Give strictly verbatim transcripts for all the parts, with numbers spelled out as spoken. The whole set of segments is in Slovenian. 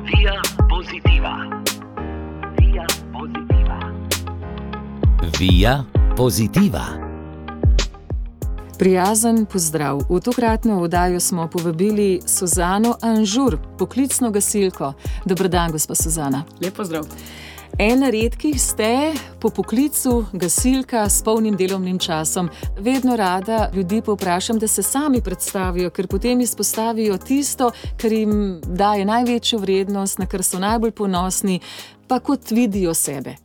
Via Positiva. Via Positiva. Via Positiva. Prijazen pozdrav. V tokratno oddajo smo povabili Suzano Anžur, poklicno gasilko. Dober dan, gospa Suzana. Lep pozdrav. Ena redkih ste po poklicu gasilka s polnim delovnim časom. Vedno rada ljudi povprašam, da se sami predstavijo, ker potem izpostavijo tisto, kar jim daje največjo vrednost, na kar so najbolj ponosni, pa kot vidijo sebe.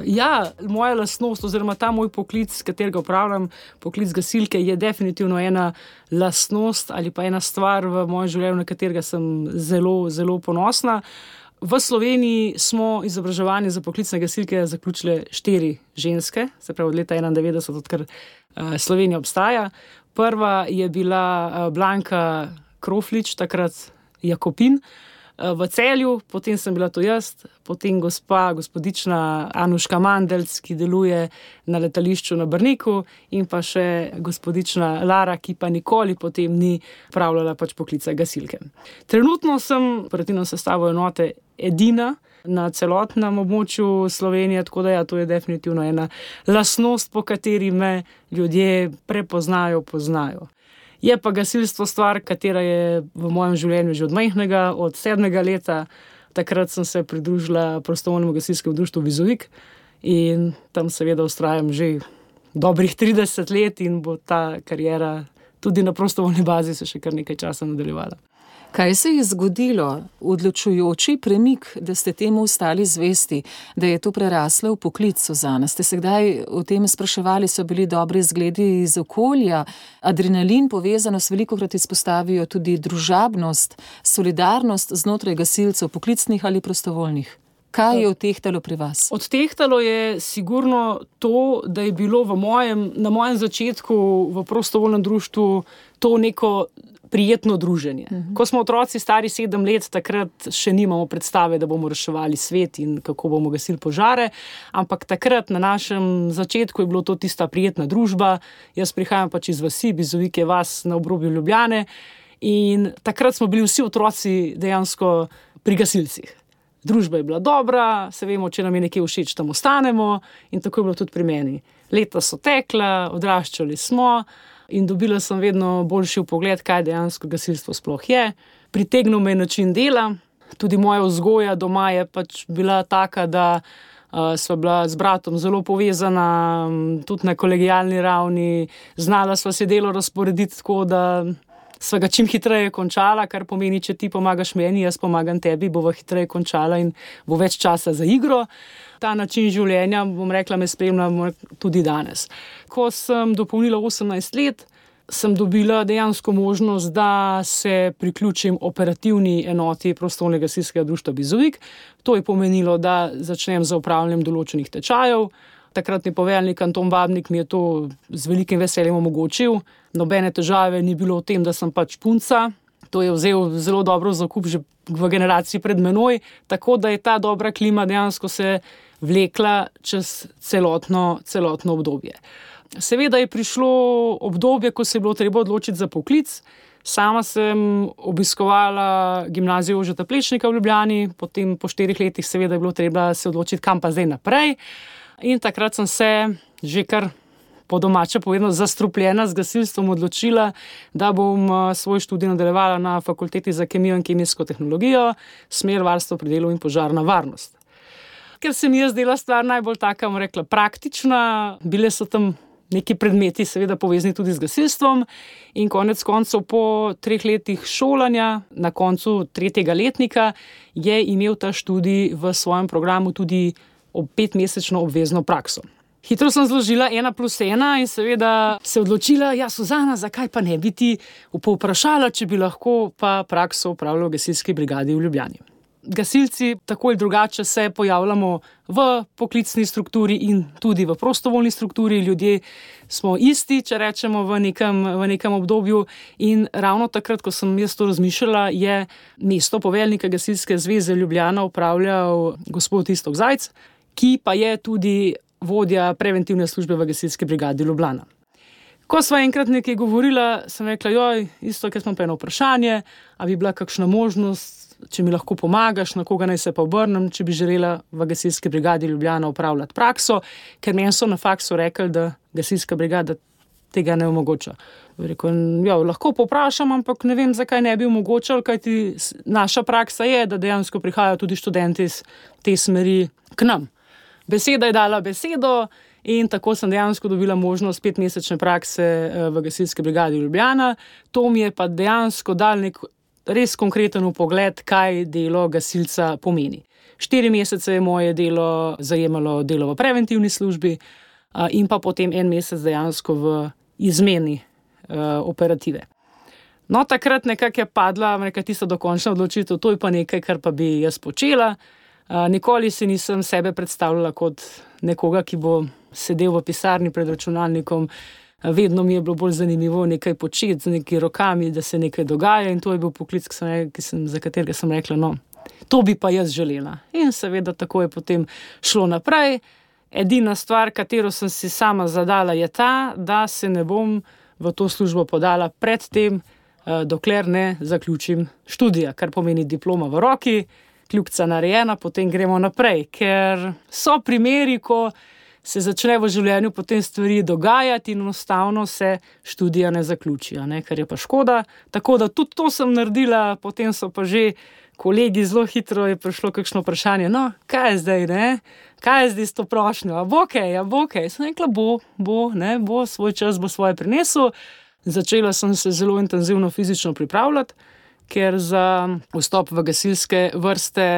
Ja, moja lastnost oziroma ta moj poklic, s katerega upravljam, poklic gasilke, je definitivno ena lastnost ali pa ena stvar v mojem življenju, na katerega sem zelo, zelo ponosna. V Sloveniji smo izobraževanje za poklicne gasilke zaključile štiri ženske, se pravi od leta enaindevetdeset, odkar Slovenija obstaja. Prva je bila Blanka Kroflič, takrat Jakopin, v Celju, potem sem bila to jaz, potem gospa, gospodična Anuška Mandelc, ki deluje na letališču na Brniku, in pa še gospodična Lara, ki pa nikoli potem ni pravljala pač poklica gasilke. Trenutno sem operativno sestavo enote edina na celotnem območju Slovenije, tako da ja, to je definitivno ena lastnost, po kateri me ljudje prepoznajo, poznajo. Je pa gasilstvo stvar, katera je v mojem življenju že od majhnega, od sedmega leta. Takrat sem se pridružila prostovoljnemu gasilskemu društvu Vizovik in tam seveda vztrajam že dobrih trideset let in bo ta kariera tudi na prostovoljni bazi se še kar nekaj časa nadaljevala. Kaj se je zgodilo, odločujoči premik, da ste temu ostali zvesti, da je to preraslo v poklic, Suzana? Ste se kdaj o tem spraševali, so bili dobri zgledi iz okolja? Adrenalin, povezanost, velikokrat izpostavijo tudi družabnost, solidarnost znotraj gasilcev, poklicnih ali prostovoljnih. Kaj je odtehtalo pri vas? Odtehtalo je sigurno to, da je bilo v mojem, na mojem začetku v prostovoljnem društvu to neko prijetno druženje. Uh-huh. Ko smo otroci stari sedem let, takrat še nimamo predstave, da bomo reševali svet in kako bomo gasili požare, ampak takrat na našem začetku je bilo to tista prijetna družba. Jaz prihajam pač iz vasi, Vizovik je vas na obrobju Ljubljane, in takrat smo bili vsi otroci dejansko pri gasilcih. Družba je bila dobra, se vemo, če nam je nekaj všeč, tam ostanemo, in tako je bilo tudi pri meni. Leta so tekla, odraščali smo, in dobila sem vedno boljši vpogled, kaj dejansko gasilstvo sploh je. Pritegnil me je način dela, tudi moja vzgoja doma je pač bila taka, da uh, sva bila z bratom zelo povezana, tudi na kolegialni ravni, znala sva se delo razporediti tako, da sva ga čim hitreje končala, kar pomeni, če ti pomagaš meni, jaz pomagam tebi, bova hitreje končala in bo več časa za igro. Ta način življenja, bom rekla, me spremlja tudi danes. Ko sem dopolnila osemnajst let, sem dobila dejansko možnost, da se priključim operativni enoti prostovoljnega gasilskega društva Vizovik. To je pomenilo, da začnem z opravljanjem določenih tečajev. Takratni poveljnik Anton Babnik mi je to z velikim veseljem omogočil. Nobene težave ni bilo v tem, da sem pač punca. To je vzel zelo dobro zakup že v generaciji pred menoj, tako da je ta dobra klima dejansko se vlekla čez celotno, celotno obdobje. Seveda je prišlo obdobje, ko se je bilo treba odločiti za poklic. Sama sem obiskovala gimnazijo Jožeta Plečnika v Ljubljani, potem po štirih letih seveda je bilo treba se odločiti, kam pa zdaj naprej. In takrat sem se že kar po domače povedano zastrupljena z gasilstvom odločila, da bom svoj študij nadaljevala na Fakulteti za kemijo in kemijsko tehnologijo, smer varstvo pri delu in požarna varnost. Ker se mi je zdela stvar najbolj taka, bom rekla, praktična, bile so tam neki predmeti seveda povezani tudi z gasilstvom in konec koncev po treh letih šolanja, na koncu tretjega letnika, je imel ta študij v svojem programu tudi ob petmesečno obvezno prakso. Hitro sem zložila ena plus ena in seveda se odločila, ja, Suzana, zakaj pa ne bi ti povprašala, če bi lahko pa prakso opravljala v gasilski brigadi v Ljubljani. Gasilci tako ali drugače se pojavljamo v poklicni strukturi in tudi v prostovoljni strukturi. Ljudje smo isti, če rečemo, v nekem, v nekem obdobju, in ravno takrat, ko sem jaz to razmišljala, je mesto poveljnika Gasilske zveze Ljubljana upravljal gospod Iztok Zajc, ki pa je tudi vodja preventivne službe v gasilski brigadi Ljubljana. Ko sva enkrat nekaj govorila, sem rekla, joj, isto, ker smo pa eno vprašanje, a bi bila kakšna možnost, če mi lahko pomagaš, na koga naj se pa obrnem, če bi želela v gasilski brigadi Ljubljana opravljati prakso, ker meni so na faksu rekli, da gasilska brigada tega ne omogoča. Rekel, ja, lahko poprašam, ampak ne vem, zakaj ne bi omogočal, kajti naša praksa je, da dejansko prihajajo tudi študenti iz te smeri k nam. Beseda je dala besedo in tako sem dejansko dobila možnost petmesečne prakse v gasilski brigadi Ljubljana. To mi je pa dejansko dal nek res konkreten vpogled, kaj delo gasilca pomeni. Štiri mesece je moje delo zajemalo delo v preventivni službi in pa potem en mesec dejansko v izmeni uh, operative. No, takrat nekako je padla nekaj tista dokončna odločitev, to je pa nekaj, kar pa bi jaz počela. Uh, nikoli si nisem sebe predstavljala kot nekoga, ki bo sedel v pisarni pred računalnikom. Vedno mi je bilo bolj zanimivo nekaj početi z nekaj rokami, da se nekaj dogaja in to je bil poklic, ki sem, ki sem, za katerega sem rekla, no, to bi pa jaz želela. In seveda tako je potem šlo naprej. Edina stvar, katero sem si sama zadala, je ta, da se ne bom v to službo podala pred tem, dokler ne zaključim študija, kar pomeni diploma v roki, kljukica narejena, potem gremo naprej, ker so primeri, ko se začne v življenju potem stvari dogajati in enostavno se študija ne zaključijo, ne, kar je pa škoda. Tako da tudi to sem naredila, potem so pa že kolegi zelo hitro je prišlo kakšno vprašanje, no, kaj je zdaj, ne, kaj je zdaj s to prošnjo, a bo kaj, a bo kaj. Sem rekla, bo, bo, ne, bo, svoj čas bo svoje prinesel. Začela sem se zelo intenzivno fizično pripravljati, ker za vstop v gasilske vrste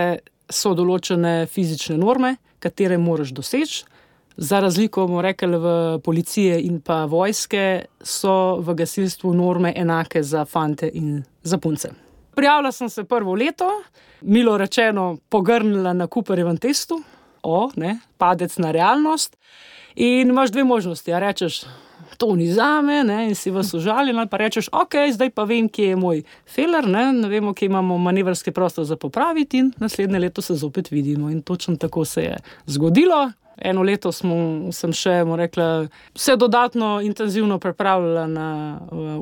so določene fizične norme, katere moraš doseči. Za razliko, bomo rekli, v policije in pa vojske so v gasilstvu norme enake za fante in za punce. Prijavila sem se prvo leto, milo rečeno pogrnila na Cooperjevem testu, o, ne, padec na realnost in imaš dve možnosti, a rečeš, to ni zame, ne, in si vas užaljen, ali pa rečeš, ok, zdaj pa vem, kje je moj feler, ne, ne vemo, kje imamo manevrski prostor za popraviti in naslednje leto se zopet vidimo in točno tako se je zgodilo. Eno leto smo, sem še, bomo rekla, vse dodatno intenzivno pripravljala na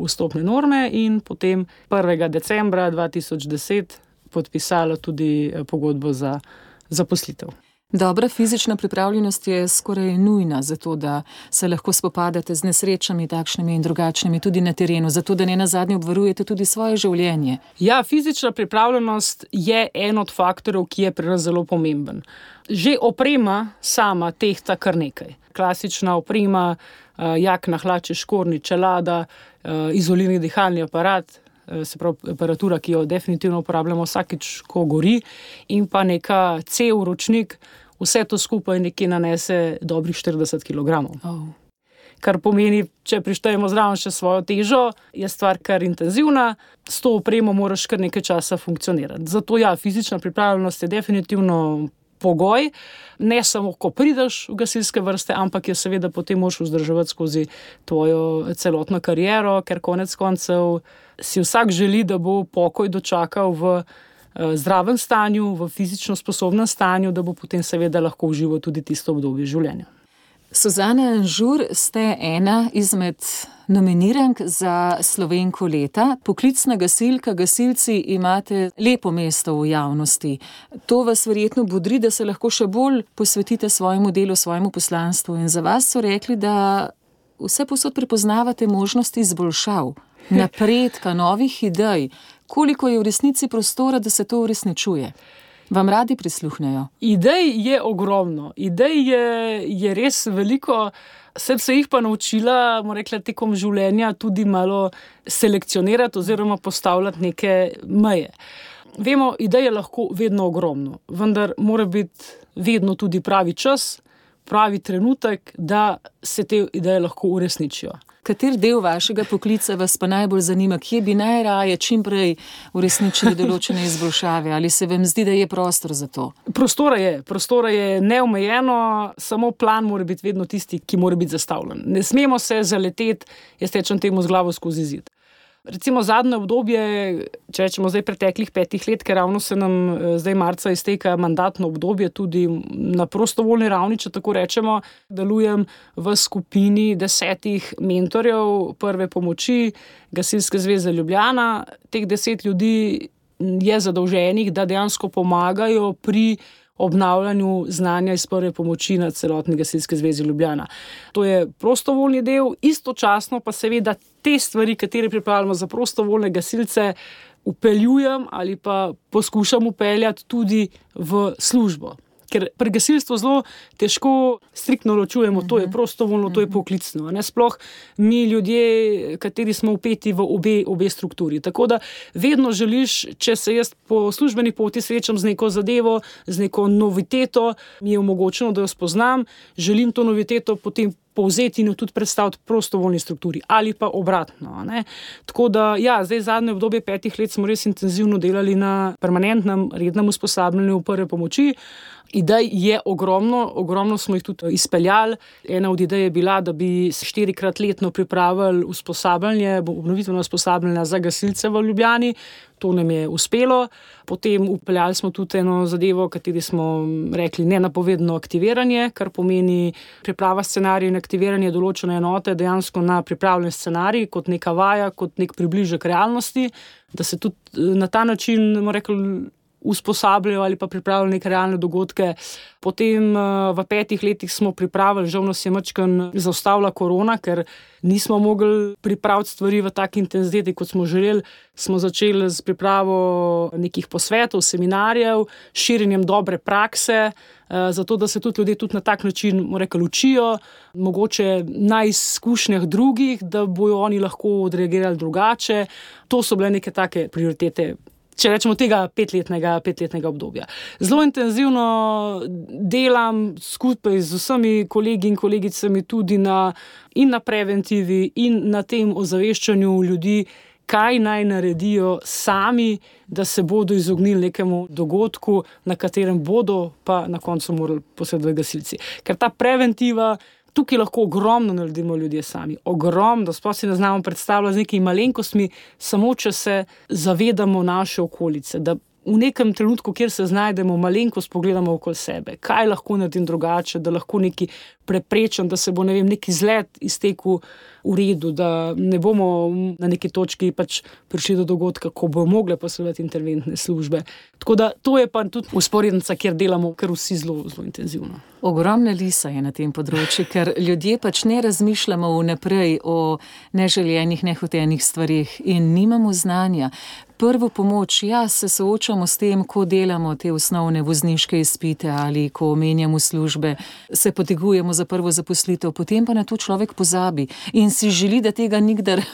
vstopne norme in potem prvega decembra dva tisoč deset podpisala tudi pogodbo za zaposlitev. Dobra fizična pripravljenost je skoraj nujna za to, da se lahko spopadate z nesrečami takšnimi in drugačnimi tudi na terenu, zato da ne nazadnje obvarujete tudi svoje življenje. Ja, fizična pripravljenost je en od faktorov, ki je pri nas zelo pomemben. Že oprema sama tehta kar nekaj. Klasična oprema, jakna, hlače, škornji, čelada, izolirni dihalni aparat, se pravi aparatura, ki jo definitivno uporabljamo vsakič, ko gori, in pa neka cev, ročnik, vse to skupaj nekje nanese dobrih štirideset kilogramov. Oh. Kar pomeni, če prištejemo zraven še svojo težo, je stvar kar intenzivna, s to opremo moraš kar nekaj časa funkcionirati. Zato ja, fizična pripravljenost je definitivno pogoj, ne samo, ko prideš v gasilske vrste, ampak je seveda potem moraš vzdrževati skozi tvojo celotno kariero, ker konec koncev si vsak želi, da bo pokoj dočakal v zdravem stanju, v fizično sposobnem stanju, da bo potem seveda lahko užival tudi tisto obdobje življenja. Suzana Anžur, ste ena izmed nominirank za Slovenko leta. Poklicna gasilka, gasilci imate lepo mesto v javnosti. To vas verjetno bodri, da se lahko še bolj posvetite svojemu delu, svojemu poslanstvu. In za vas so rekli, da vse posod prepoznavate možnosti izboljšav, napredka, novih idej. Koliko je v resnici prostora, da se to uresničuje? Vam radi prisluhnejo? Idej je ogromno. Idej je, je res veliko. Sem se jih pa naučila, bomo rekla, tekom življenja tudi malo selekcionirati oziroma postavljati neke meje. Vemo, idej je lahko vedno ogromno, vendar mora biti vedno tudi pravi čas, pravi trenutek, da se te ideje lahko uresničijo. Kater del vašega poklica vas pa najbolj zanima? Kje bi najraje čim prej uresničili določene izboljšave? Ali se vam zdi, da je prostor za to? Prostora je. Prostora je neomejeno, samo plan mora biti vedno tisti, ki mora biti zastavljen. Ne smemo se zaleteti, jaz tečem temu z glavo skozi zid. Recimo zadnje obdobje, če rečemo zdaj preteklih petih let, ker ravno se nam zdaj marca izteka mandatno obdobje tudi na prostovoljni ravni, če tako rečemo, delujem v skupini desetih mentorjev prve pomoči Gasilske zveze Ljubljana. Teh deset ljudi je zadolženih, da dejansko pomagajo pri obnavljanju znanja iz prve pomoči na celotni Gasilski zvezi Ljubljana. To je prostovoljni del, istočasno pa seveda te stvari, katere pripravljamo za prostovoljne gasilce, upeljujem ali pa poskušam upeljati tudi v službo. Ker pri gasilstvu zelo težko striktno ločujemo, to je prostovoljno, to je poklicno. Ne? Sploh mi ljudje, kateri smo vpeti v obe, obe strukturi. Tako da vedno želiš, če se jaz po službeni poti srečam z neko zadevo, z neko noviteto, mi je omogočeno, da jo spoznam, želim to noviteto potem povzeti in jo tudi predstaviti prostovoljni strukturi ali pa obratno. Ne? Tako da, ja, zdaj zadnje obdobje petih let smo res intenzivno delali na permanentnem, rednem usposabljanju prve pomoči. Idej je ogromno, ogromno smo jih tudi izpeljali. Ena od idej je bila, da bi štirikrat letno pripravili usposabljanje, obnovitveno usposabljanje za gasilce v Ljubljani. To nam je uspelo. Potem upeljali smo tudi eno zadevo, kateri smo rekli nenapovedno aktiviranje, kar pomeni priprava scenarija in aktiviranje določene enote dejansko na pripravljen scenarij, kot neka vaja, kot nek približek realnosti, da se tudi na ta način, bomo rekli, usposabljajo ali pa pripravljajo neke realne dogodke. Potem v petih letih smo pripravili, žal nas je majčkeno zaustavila korona, ker nismo mogli pripraviti stvari v taki intenziteti, kot smo želeli. Smo začeli z pripravo nekih posvetov, seminarjev, širjenjem dobre prakse, zato da se tudi ljudje tudi na tak način, bomo rekli, učijo, mogoče na izkušnjah drugih, da bojo oni lahko odreagirali drugače. To so bile neke take prioritete, če rečemo tega petletnega, petletnega obdobja. Zelo intenzivno delam skupaj z vsemi kolegi in kolegicami tudi na, in na preventivi in na tem ozaveščanju ljudi, kaj naj naredijo sami, da se bodo izognili nekemu dogodku, na katerem bodo pa na koncu morali posredovati gasilci. Ker ta preventiva, tukaj lahko ogromno naredimo ljudje sami. Ogromno, da sploh si ne znamo predstavljati z nekimi malenkostmi, samo če se zavedamo naše okolice, da v nekem trenutku, kjer se znajdemo, malenkost pogledamo okoli sebe. Kaj lahko naredim drugače, da lahko neki preprečam, da se bo, ne vem, neki izlet iztekel v redu, da ne bomo na neki točki pač prišli do dogodka, ko bo mogle posredovati interventne službe. Tako da to je pa tudi usporednica, kjer delamo kar vsi zelo, zelo intenzivno. Ogromna lisa je na tem področju, ker ljudje pač ne razmišljamo vnaprej o neželjenih, nehotenih stvarih in nimamo znanja. Prvo pomoč, ja, se soočamo s tem, ko delamo te osnovne vozniške izpite ali ko omenjamo službe, se potegujemo za prvo zaposlitev, potem pa na to človek pozabi in si želi, da tega nikdar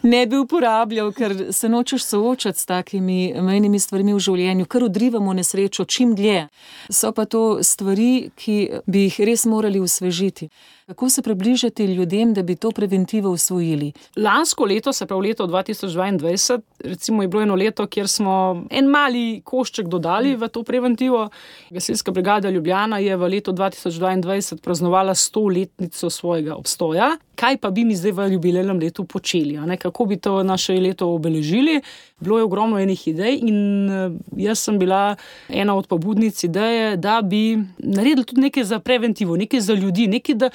ne bi uporabljal, ker se nočeš soočati s takimi mejnimi stvarmi v življenju, kar odrivamo nesrečo čim dlje. So pa to stvari, ki bi jih res morali osvežiti. Kako se približati ljudem, da bi to preventivo usvojili? Lansko leto, se pravi leto dva tisoč dvaindvajset, recimo je bilo eno leto, kjer smo en mali košček dodali v to preventivo. Gasilska brigada Ljubljana je v letu dva tisoč dvaindvajset praznovala stoletnico svojega obstoja. Kaj pa bi mi zdaj v jubilejnem letu počeli? Ne? Kako bi to naše leto obeležili? Bilo je ogromno enih idej in jaz sem bila ena od pobudnic ideje, da bi naredili tudi nekaj za preventivo, nekaj za ljudi, nekaj, da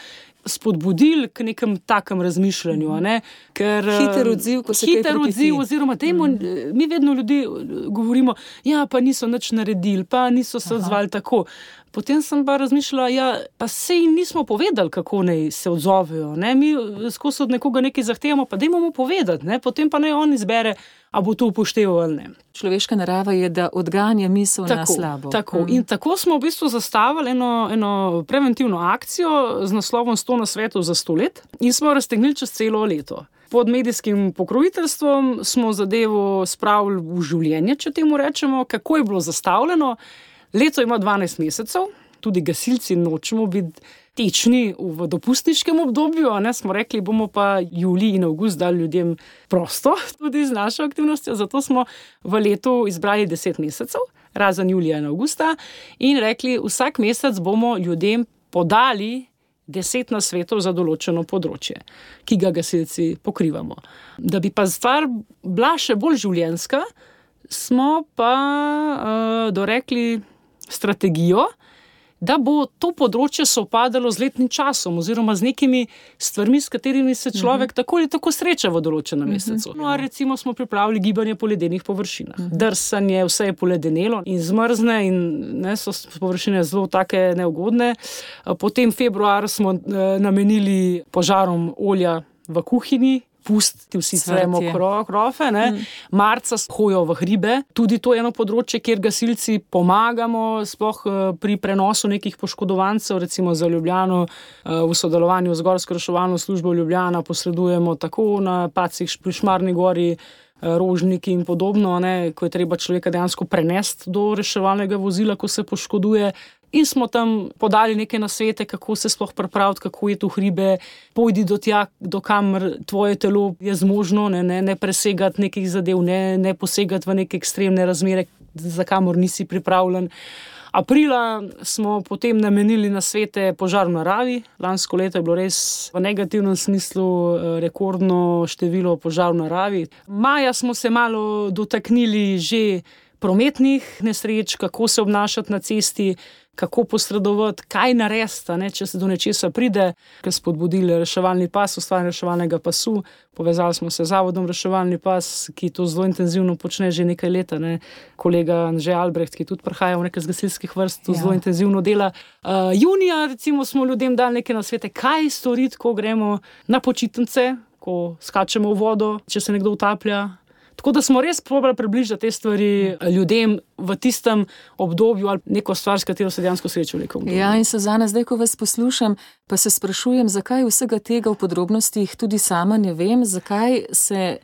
spodbudili k nekem takem razmišljanju. Ne? Ker, hiter odziv, ko se kaj hiter odziv, oziroma dejmo, mm. mi vedno ljudi govorimo, ja, pa niso nič naredili, pa niso se odzvali tako. Potem sem pa razmišljala, ja, pa sej nismo povedali, kako naj se odzovejo. Ne? Mi skozi od nekoga nekaj zahtevamo, pa dajmo mu povedati, ne? Potem pa naj on izbere, a bo to upošteval ali ne. Človeška narava je, da odganja misel tako, na slabo. Tako. Mm. In tako smo v bistvu zastavili eno, eno preventivno akcijo z naslovom sto nasvetov za sto let in smo raztegnili čez celo leto. Pod medijskim pokroviteljstvom smo zadevo spravili v življenje, če temu rečemo, kako je bilo zastavljeno. Leto ima dvanajst mesecev, tudi gasilci nočemo biti tečni v dopustniškem obdobju, ne, smo rekli, bomo pa julij in avgust dali ljudem prosto, tudi z našo aktivnostjo, zato smo v letu izbrali deset mesecev, razen julija in avgusta, in rekli, vsak mesec bomo ljudem podali deset nasvetov za določeno področje, ki ga gasilci pokrivamo. Da bi pa stvar bila še bolj življenjska, smo pa uh, dorekli strategijo, da bo to področje sovpadalo z letnim časom oziroma z nekimi stvarmi, s katerimi se človek uh-huh. tako ali tako sreča v določenem uh-huh. mesecu. No, a recimo smo pripravili gibanje po ledenih površinah. Uh-huh. Drsanje, vse je poledenelo in zmrzne in ne, so površine zelo take neugodne. Potem februar smo eh, namenili požarom olja v kuhinji, pusti vsi svemo krofe, ne. Mm. Marca hojo v hribe, tudi to je eno področje, kjer gasilci pomagamo, sploh pri prenosu nekih poškodovancev, recimo za Ljubljano v sodelovanju z Gorsko reševalno službo Ljubljana posredujemo tako na pacih pri Šmarni gori, Rožniki in podobno, ne, ko je treba človeka dejansko prenesti do reševalnega vozila, ko se poškoduje. In smo tam podali neke nasvete, kako se sploh pripraviti, kako je tu hribe, pojdi do tja, do kamer tvoje telo je zmožno, ne, ne, ne presegati nekih zadev, ne, ne posegati v neke ekstremne razmere, za kamor nisi pripravljen. Aprila smo potem namenili nasvete požar v naravi. Lansko leto je bilo res v negativnem smislu rekordno število požar v naravi. Maja smo se malo dotaknili že prometnih nesreč, kako se obnašati na cesti, kako posredovati, kaj narediti, ne, če se do nečesa pride, ker spodbudili reševalni pas, ustvarjanje reševalnega pasu. Povezali smo se z Zavodom reševalni pas, ki to zelo intenzivno počne že nekaj leta. Ne. Kolega Anže Albrecht, ki tudi prihaja v nekaj z gasilskih vrst, to ja. zelo intenzivno dela. Uh, junija recimo smo ljudem dali neke nasvete, kaj storiti, ko gremo na počitnice, ko skačemo v vodo, če se nekdo utaplja. Tako da smo res probali približati te stvari ljudem v tistem obdobju ali neko stvar, s katero se dejansko srečajo v nekom obdobju. Ja, in Suzana, zdaj, ko vas poslušam, pa se sprašujem, zakaj vsega tega v podrobnostih tudi sama ne vem, zakaj se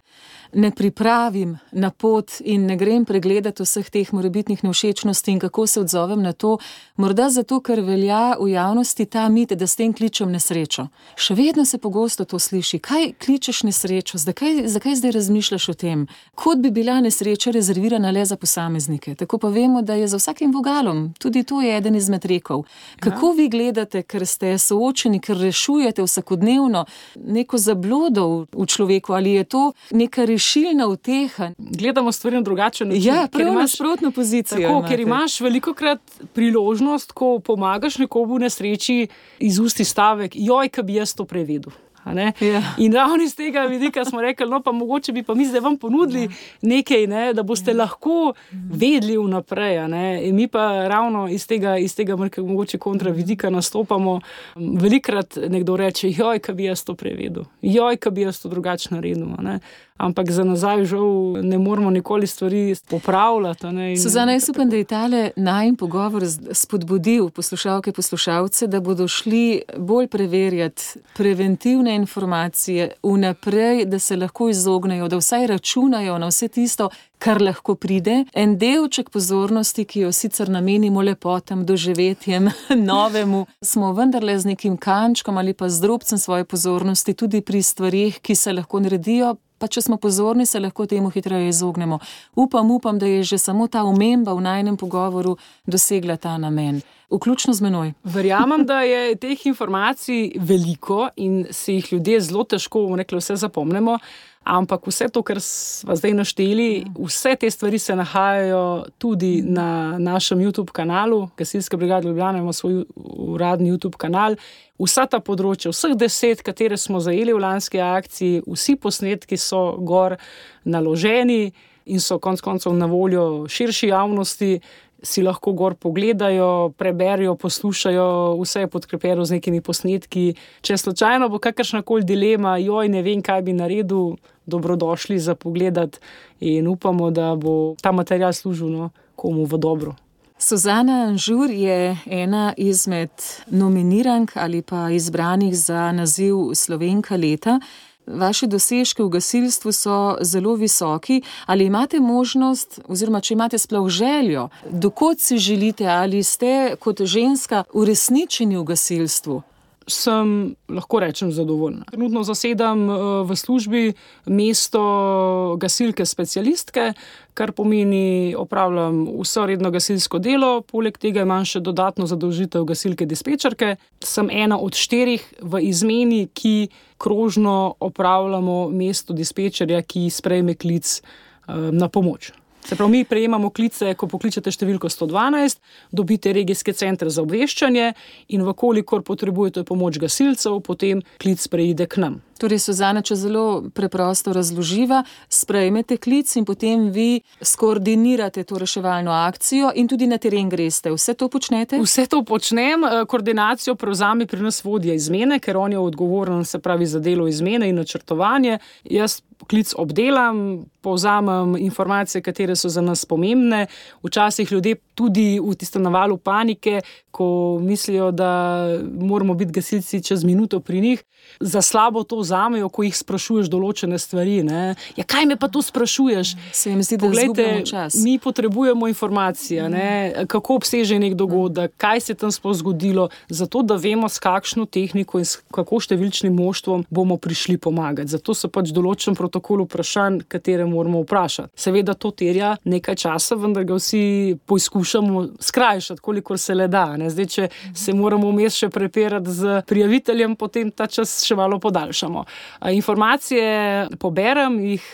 ne pripravim na pot in ne grem pregledati vseh teh morebitnih nevšečnosti in kako se odzovem na to. Morda zato, ker velja v javnosti ta mit, da s tem kličem nesrečo. Še vedno se pogosto to sliši. Kaj kličeš nesrečo? Zakaj, zakaj zdaj razmišljaš o tem? Kot bi bila nesreča rezervirana le za posameznike. Tako pa vemo, da je za vsakim vogalom. Tudi to je eden izmed rekov. Kako ja. vi gledate, ker ste soočeni, ker rešujete vsakodnevno neko zablodo v človeku? Ali je to neka rešilna uteha? Gledamo stvari na drugačen način. Ja, prav nasprotno pozicijo. Tako, imate. Ker imaš velikokrat priložnost, ko pomagaš nekomu v nesreči, iz usti stavek, joj, ka bi jaz to prevedel. Ja. In ravno iz tega vidika smo rekli, no pa mogoče bi pa mi zdaj vam ponudili ja. nekaj, ne, da boste ja. lahko vedeli vnaprej. In mi pa ravno iz tega, iz tega mogoče kontra vidika nastopamo. Velikrat nekdo reče, joj, ka bi jaz to prevedel, joj, ka bi jaz to drugače naredil. Ne. Ampak za nazaj žal ne moramo nikoli stvari popravljati. Ne, in... Suzana, jaz upam, da je tale najin pogovor spodbudil poslušalke, poslušalce, da bodo šli bolj preverjati preventivne informacije vnaprej, da se lahko izognejo, da vsaj računajo na vse tisto, kar lahko pride. En delček pozornosti, ki jo sicer namenimo lepotam, doživetjem, novemu, smo vendarle z nekim kančkom ali pa z drobcem svoje pozornosti tudi pri stvarih, ki se lahko naredijo, pa če smo pozorni, se lahko temu hitreje izognemo. Upam, upam, da je že samo ta omemba v najinem pogovoru dosegla ta namen. Vključno z menoj. Verjamem, da je teh informacij veliko in se jih ljudje zelo težko, rekli, vse zapomnimo, ampak vse to, kar sva zdaj našteli, vse te stvari se nahajajo tudi na našem YouTube kanalu. Gasilska brigada Ljubljana ima svoj uradni YouTube kanal. Vsa ta področja, vseh deset, katere smo zajeli v lanski akciji, vsi posnetki so gor naloženi in so konec koncev na voljo širši javnosti, si lahko gor pogledajo, preberijo, poslušajo, vse je podkrepljeno z nekimi posnetki. Če slučajno bo kakršnakoli dilema, joj, ne vem, kaj bi naredil, dobrodošli za pogledati in upamo, da bo ta material služil no, komu v dobro. Suzana Anžur je ena izmed nominirank ali pa izbranih za naziv Slovenka leta. Vaši dosežki v gasilstvu so zelo visoki. Ali imate možnost, oziroma če imate sploh željo, dokot si želite, ali ste kot ženska uresničeni v gasilstvu? Sem, lahko rečem, zadovoljna. Trenutno zasedam v službi mesto gasilke specialistke, kar pomeni, opravljam vso redno gasilsko delo, poleg tega imam še dodatno zadolžitev gasilke dispečerke. Sem ena od štirih v izmeni, ki krožno opravljamo mesto dispečerja, ki sprejme klic na pomoč. Se pravi, mi prejemamo klice, ko pokličete številko sto dvanajst, dobite regijske centre za obveščanje in vkolikor potrebujete pomoč gasilcev, potem klic preide k nam. Torej, Suzana, če zelo preprosto razloživa, sprejmete klic in potem vi skoordinirate to reševalno akcijo in tudi na teren greste. Vse to počnete? Vse to počnem. Koordinacijo prevzame pri nas vodja izmene, ker on je odgovoren, se pravi, za delo izmene in načrtovanje. Jaz klic obdelam, povzamem informacije, katere so za nas pomembne. Včasih ljudje tudi v tistem navalu panike, ko mislijo, da moramo biti gasilci čez minuto pri njih, za slabo to vzamejo, ko jih sprašuješ določene stvari. Ne? Ja, kaj me pa to sprašuješ? Se jim zdi, da izgubljamo čas. Mi potrebujemo informacije, ne? Kako obseže nek dogodek, kaj se tam sploh zgodilo, zato da vemo, s kakšno tehniko in s kako številčnim moštvom bomo prišli pomagati. Zato so pač določen protokol vprašanj, katere moramo vprašati. Seveda to terja nekaj časa, vendar ga vsi poizkušamo skrajšati, kolikor se le da. Ne? Zdaj, če se moramo vmes še prepirati z prijaviteljem, potem ta čas še malo podaljšamo. Informacije poberem, jih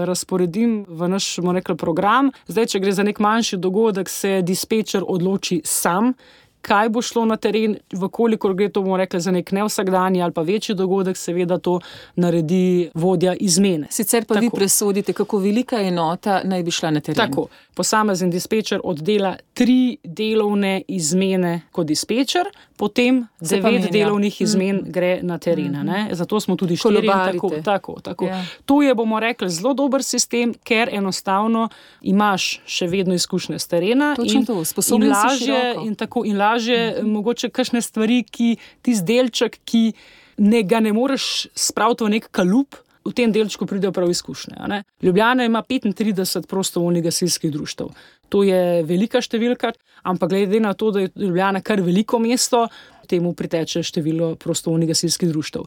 razporedim v naš, bomo rekli, program. Zdaj, če gre za nek manjši dogodek, se dispečer odloči sam, kaj bo šlo na teren, vkolikor gre to, bomo rekli, za nek nevsakdanji ali pa večji dogodek, seveda to naredi vodja izmene. Sicer pa Tako. vi presodite, kako velika enota naj bi šla na teren. Tako, posamezen dispečer oddela tri delovne izmene kot dispečer, potem Se devet pa delovnih izmen mm. gre na teren. Mm. Zato smo tudi štiri. Tako, tako, tako. Ja. To je, bomo rekli, zelo dober sistem, ker enostavno imaš še vedno izkušnje s terena. Točno in, to, sposoben in lažje, si široko. in tako in lažje, mm. mogoče kakšne stvari, ki tisti delček, ki ne, ga ne moreš spraviti v nek kalup, v tem delčku pridejo prav izkušnje. Ne? Ljubljana ima petintrideset prostovoljnih gasilskih društev. To je velika številka, ampak glede na to, da je Ljubljana kar veliko mesto, temu priteče število prostovoljnih gasilskih društev.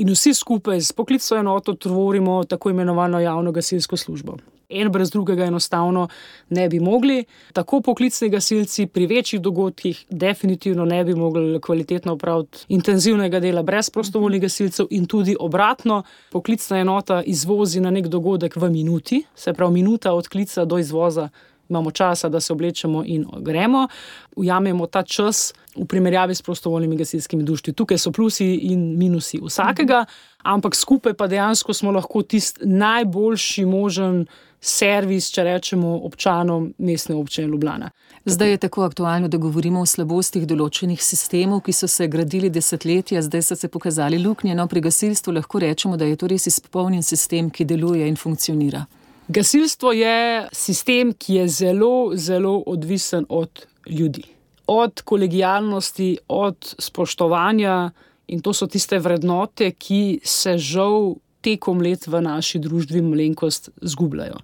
In vsi skupaj s poklicno enoto tvorimo tako imenovano javno gasilsko službo. En brez drugega enostavno ne bi mogli. Tako poklicni gasilci pri večjih dogodkih definitivno ne bi mogli kvalitetno opraviti intenzivnega dela brez prostovoljnih gasilcev in tudi obratno. Poklicna enota izvozi na nek dogodek v minuti, se pravi minuta od klica do izvoza imamo časa, da se oblečemo in gremo. Ujamemo ta čas v primerjavi s prostovoljnimi gasilskimi društvi. Tukaj so plusi in minusi vsakega, ampak skupaj pa dejansko smo lahko tisti najboljši možen servis, če rečemo, občanom mestne občine Ljubljana. Zdaj je tako aktualno, da govorimo o slabostih določenih sistemov, ki so se gradili desetletja, zdaj so se pokazali luknje. No, pri gasilstvu lahko rečemo, da je to res izpolnjen sistem, ki deluje in funkcionira. Gasilstvo je sistem, ki je zelo, zelo odvisen od ljudi. Od kolegialnosti, od spoštovanja, in to so tiste vrednote, ki se žal tekom let v naši družbi malenkost zgubljajo.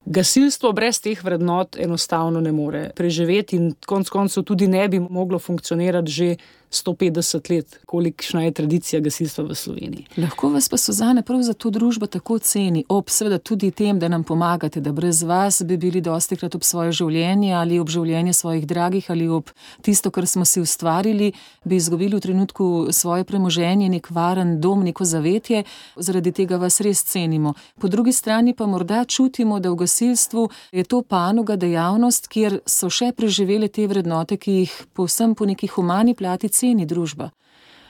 Gasilstvo brez teh vrednot enostavno ne more preživeti in konec koncev tudi ne bi moglo funkcionirati že sto petdeset let, kolikšna je tradicija gasilstva v Sloveniji. Lahko vas pa, Suzana, prav za to družba tako ceni, ob seveda tudi tem, da nam pomagate, da brez vas bi bili dostikrat ob svoje življenje ali ob življenje svojih dragih ali ob tisto, kar smo si ustvarili, bi izgubili v trenutku svoje premoženje, nek varen dom, neko zavetje, zaradi tega vas res cenimo. Po drugi strani pa morda čutimo, da v gasilstvu je to panoga, dejavnost, kjer so še preživele te vrednote, ki jih povsem po neki humani plati ceni družba.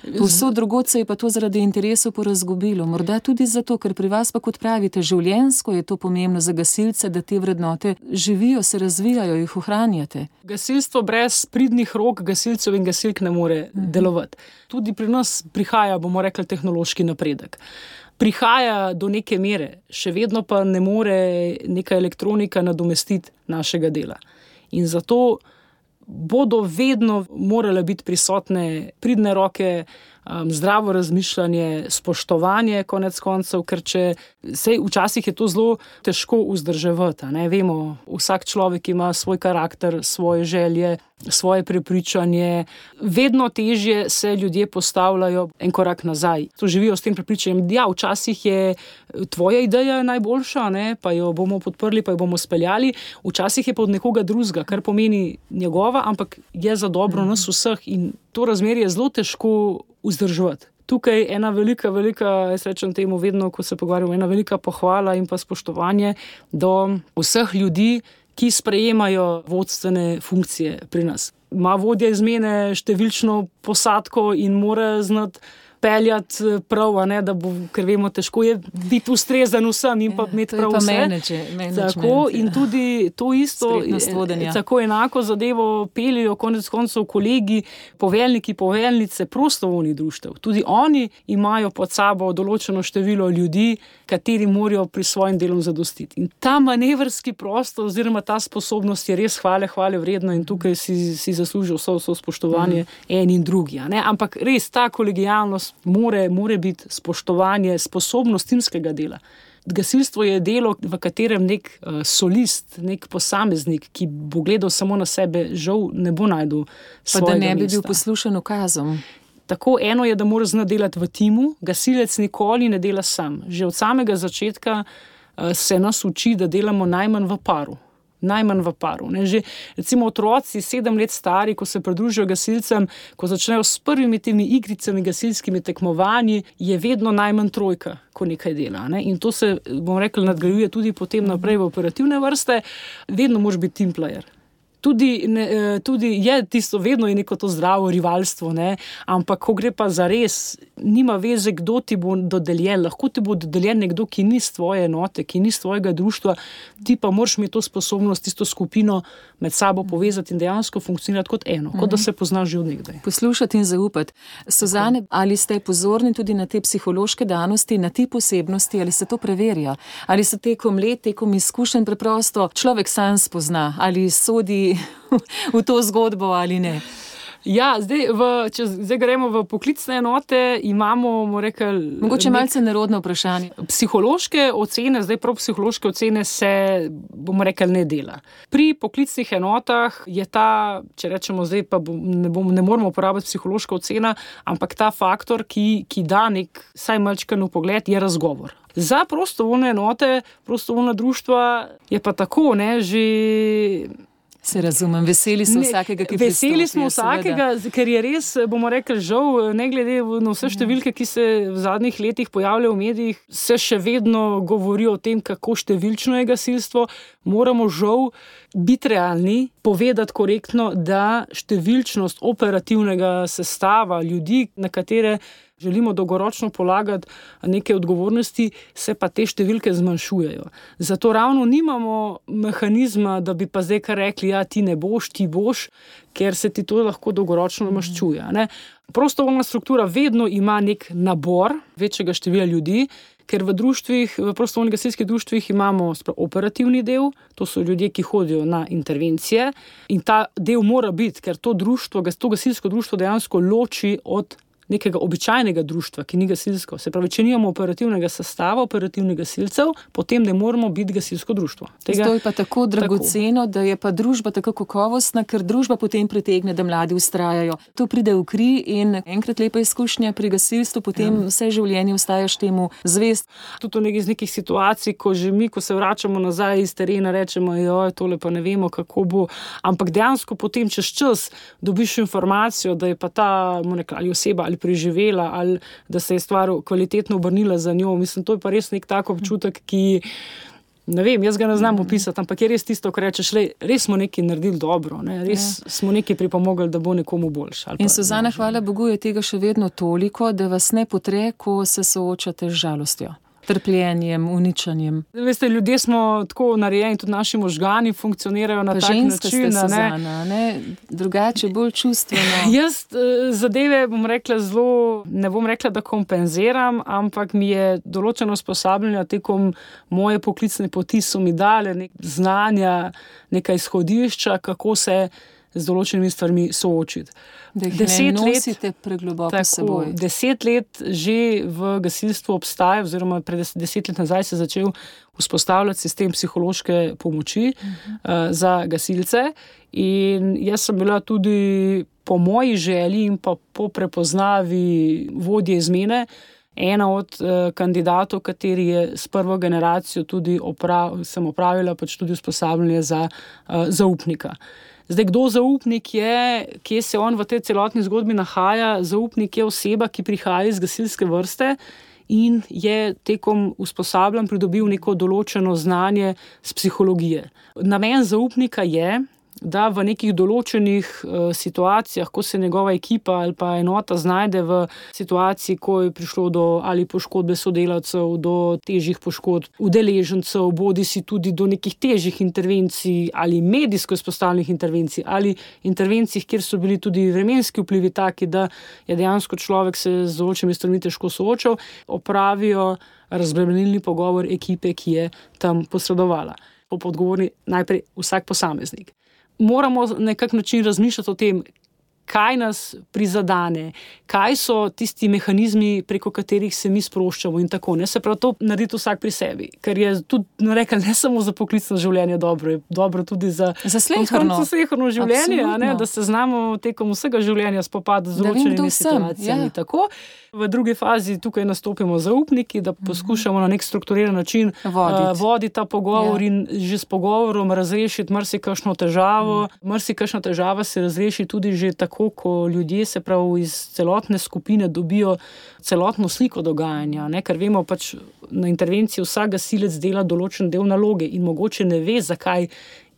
Povsod drugod se je pa to zaradi interesov porazgubilo. Morda tudi zato, ker pri vas pa, kot pravite, življenjsko je to pomembno za gasilce, da te vrednote živijo, se razvijajo, jih ohranjate. Gasilstvo brez pridnih rok gasilcev in gasilk ne more mhm. delovati. Tudi pri nas prihaja, bomo rekli, tehnološki napredek. Prihaja do neke mere, še vedno pa ne more neka elektronika nadomestiti našega dela. In zato bodo vedno morale biti prisotne pridne roke, um, zdravo razmišljanje, spoštovanje konec koncev, ker če sej včasih je to zelo težko vzdrževati. Ne? Vemo, vsak človek ima svoj karakter, svoje želje, svoje prepričanje. Vedno težje se ljudje postavljajo en korak nazaj. To živijo s tem prepričanjem, ja, včasih je tvoja ideja najboljša, ne? Pa jo bomo podprli, pa jo bomo speljali. Včasih je pa od nekoga drugega, kar pomeni njegova, ampak je za dobro nas vseh in to razmerje je zelo težko vzdrževati. Tukaj ena velika, velika, jaz rečem temu vedno, ko se pogovarjamo, ena velika pohvala in pa spoštovanje do vseh ljudi, ki sprejemajo vodstvene funkcije pri nas. Ima vodja izmene številčno posadko in mora znati peljati prav, a ne, da bo, ker vemo, težko je biti ustrezen vsem in pa ja, imeti prav vse. Manage, tako in tudi to isto, tako enako zadevo peljajo konec koncev kolegi, poveljniki, poveljnice prostovoljnih društev. Tudi oni imajo pod sabo določeno število ljudi, kateri morajo pri svojim delom zadostiti. In ta manevrski prostor oziroma ta sposobnost je res hvale, hvale vredna in tukaj si, si zaslužijo vso, vso spoštovanje mm. en in drugi. Ne? Ampak res ta kolegijalnost More, more biti spoštovanje, sposobnost timskega dela. Gasilstvo je delo, v katerem nek uh, solist, nek posameznik, ki bo gledal samo na sebe, žal ne bo najdel svojega mesta. Pa da ne bi bil poslušan ukazom. Tako eno je, da mora znati delati v timu, gasilec nikoli ne dela sam. Že od samega začetka uh, se nas uči, da delamo najmanj v paru. Najmanj v paru. Ne? Že recimo otroci sedem let stari, ko se pridružijo gasilcem, ko začnejo s prvimi temi igricami, gasilskimi tekmovanji, je vedno najmanj trojka, ko nekaj dela. Ne? In to se, bom rekel, nadgrajuje tudi potem naprej v operativne vrste. Vedno moraš biti team player. Tudi, ne, tudi je tisto, vedno je neko to zdravo rivalstvo, ne? Ampak ko gre pa za res, nima veze, kdo ti bo dodeljen. Lahko ti bo dodeljen nekdo, ki ni z tvoje enote, ki ni z tvojega društva, ti pa moraš imeti to sposobnost, tisto skupino med sabo povezati in dejansko funkcionirati kot eno, kot da se poznaš že od nekdaj. Poslušati in zaupati. Suzane, ali ste pozorni tudi na te psihološke danosti, na te posebnosti, ali se to preverja? Ali se tekom let, tekom izkušenj preprosto človek sam spozna, ali sodi v to zgodbo ali ne? Ja, zdaj, v, če zdaj gremo v poklicne enote, imamo, bomo rekel... Mogoče malce nerodno vprašanje. Psihološke ocene, zdaj prav psihološke ocene se, bomo rekel, ne dela. Pri poklicnih enotah je ta, če rečemo zdaj, pa ne, bom, ne moramo uporabiti psihološka ocena, ampak ta faktor, ki, ki da nek saj malčkan vpogled, je razgovor. Za prostovoljne enote, prostovoljna društva je pa tako, ne, že... Se razumem, veseli smo vsakega, ki pristopi. Veseli smo vsakega, seveda. Ker je res, bomo rekli, žal, ne glede na vse številke, ki se v zadnjih letih pojavljajo v medijih, se še vedno govori o tem, kako številčno je gasilstvo. Moramo žal biti realni, povedati korektno, da številčnost operativnega sestava ljudi, na katere želimo dolgoročno polagati neke odgovornosti, se pa te številke zmanjšujejo. Zato ravno nimamo mehanizma, da bi pa zdaj kar rekli, ja, ti ne boš, ti boš, ker se ti to lahko dolgoročno maščuje. Ne? Prostovoljna struktura vedno ima nek nabor večjega števila ljudi, ker v društvih, v prostovoljnih gasilskih društvih imamo operativni del, to so ljudje, ki hodijo na intervencije in ta del mora biti, ker to društvo, to gasilsko društvo dejansko loči od nekega običajnega društva, ki ni gasilsko. Se pravi, če nimamo operativnega sestava, operativnih gasilcev, potem ne moramo biti gasilsko društvo. Tega, to je pa tako dragoceno, tako. Da je pa družba tako kakovostna, ker družba potem pritegne, da mladi vztrajajo. To pride v kri in enkrat lepa izkušnja pri gasilstvu, potem ja. Vse življenje ostajaš temu zvest. Tudi v nekih, nekih situacij, ko že mi, ko se vračamo nazaj iz terena, rečemo, joj, tole pa ne vemo, kako bo. Ampak dejansko potem čez čas dobiš informacijo, da je pa ta moneka, ali oseba ali preživela ali da se je stvar kvalitetno obrnila za njo. Mislim, to je pa res nek tak občutek, ki, ne vem, jaz ga ne znam opisati, ampak je res tisto, ko rečeš, le, res smo nekaj naredili dobro, ne? Res ja. Smo nekaj pripomogli, da bo nekomu boljše. In Suzana, hvala Bogu, je tega še vedno toliko, da vas ne potre, ko se soočate z žalostjo. Trpljenjem, uničanjem. Veste, ljudje smo tako narejeni, tudi naši možgani funkcionirajo na tak način. Ženska ste, Suzana, ne? Drugače, bolj čustveno. Jaz zadeve, bom rekla, zelo, ne bom rekla, da kompenziram, ampak mi je določeno usposabljanje tekom moje poklicne poti so mi dale nek znanja, neka izhodišča, kako se z določenimi stvarmi soočiti. Da jih ne nosite pregloboko s seboj. Deset let že v gasilstvu obstaja, oziroma pred deset let nazaj se je začel vzpostavljati sistem psihološke pomoči uh-huh. uh, za gasilce in jaz sem bila tudi po moji želji in pa po prepoznavi vodje izmene ena od uh, kandidatov, kateri je s prvo generacijo tudi oprav, sem opravila pač tudi usposabljanje za uh, zaupnika. Zdaj, kdo zaupnik je, kje se on v tej celotni zgodbi nahaja? Zaupnik je oseba, ki prihaja iz gasilske vrste in je tekom usposabljanj pridobil neko določeno znanje z psihologije. Namen zaupnika je, da v nekih določenih uh, situacijah, ko se njegova ekipa ali pa enota znajde v situaciji, ko je prišlo do ali poškodbe sodelavcev, do težjih poškodb udeležencev, bodi si tudi do nekih težjih intervencij ali medijsko izpostavljenih intervencij ali intervencij, kjer so bili tudi vremenski vplivi taki, da je dejansko človek se z določenimi stvarmi težko soočal, opravijo razbremenilni pogovor ekipe, ki je tam posredovala. Po odgovorni najprej vsak posameznik. Moramo na kak način razmišljati o tem, kaj nas prizadane, kaj so tisti mehanizmi, preko katerih se mi sproščamo in tako. Ne se prav to narediti vsak pri sebi, ker je tudi, no rekla, ne samo za poklicno življenje dobro, je dobro tudi za, za sleherno življenje, a ne, da se znamo tekom vsega življenja spopadati z določenimi situacijami. Ja. Tako. V drugi fazi tukaj nastopimo zaupniki, da poskušamo na nek strukturiran način voditi, uh, voditi ta pogovor ja. In že s pogovorom razrešiti marsikakšno težavo. Mm. Marsikakšna težava se razreši tudi že tako, ko ljudje se prav iz celotne skupine dobijo celotno sliko dogajanja, ne? Ker vemo pač na intervenciji vsak gasilec dela določen del naloge in mogoče ne ve, zakaj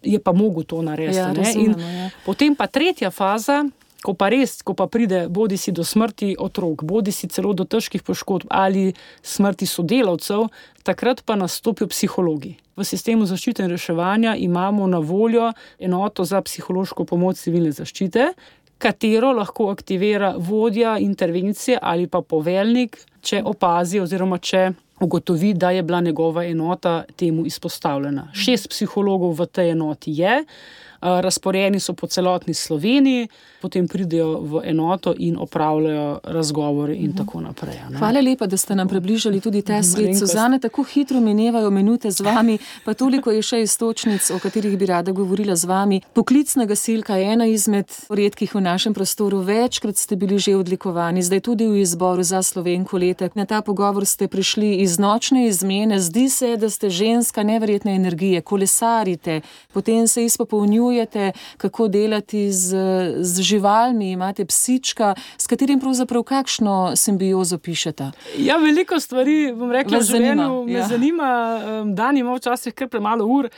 je pa mogel to narediti. Ja, ne? razumemo, In ja. potem pa tretja faza, ko pa res, ko pa pride bodi si do smrti otrok, bodi si celo do težkih poškodb ali smrti sodelavcev, takrat pa nastopijo psihologi. V sistemu zaščite in reševanja imamo na voljo enoto za psihološko pomoč civilne zaščite, katero lahko aktivira vodja intervencije ali pa poveljnik, če opazi oziroma če ugotovi, da je bila njegova enota temu izpostavljena. Šest psihologov v tej enoti je, razporejeni so po celotni Sloveniji, potem pridejo v enoto in opravljajo razgovore in tako naprej. Ne? Hvala lepa, da ste nam približali tudi ta svet. Suzana, tako hitro minevajo minute z vami, pa toliko je še istočnic, o katerih bi rada govorila z vami. Poklicna gasilka je ena izmed redkih v našem prostoru, večkrat ste bili že odlikovani, zdaj tudi v izboru za Slovenko leta. Na ta pogovor ste prišli iz nočne izmene, zdi se, da ste ženska neverjetne energije, kolesarite, potem se izpopolnjujete, kako delati z, z živalmi, imate psička, s katerim pravzaprav kakšno simbiozo pišete? Ja, veliko stvari, bom rekla, v življenju me ja. zanima, dan ima včasih kar premalo ur,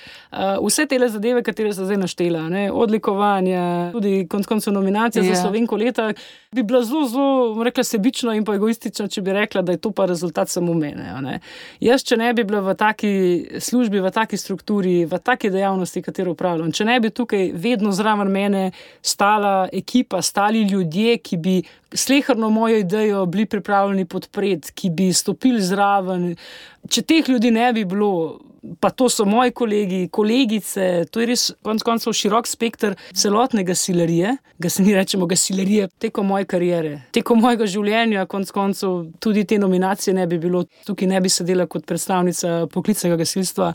vse tele zadeve, katere so zdaj naštela, ne? Odlikovanja, tudi konec koncev nominacija ja. za Slovenko leta, bi bila zelo, zelo, bom rekla, sebično in pa egoistično, če bi rekla, da je to pa rezultat samo mene. Ne? Jaz, če ne bi bila v taki službi, v taki strukturi, v taki dejavnosti, katero upravljam, če ne bi tukaj vedno zraven mene stala ekipa, stali ljudje, ki bi sleherno mojo idejo bili pripravljeni podpreti, ki bi stopili zraven. Če teh ljudi ne bi bilo, pa to so moji kolegi, kolegice, to je res konec koncev širok spekter celotne gasilerije, ga se ni rečemo gasilerije, tekom moje kariere, tekom mojega življenja, konec koncev tudi te nominacije ne bi bilo, tukaj ne bi sedela kot predstavnica poklicnega gasilstva.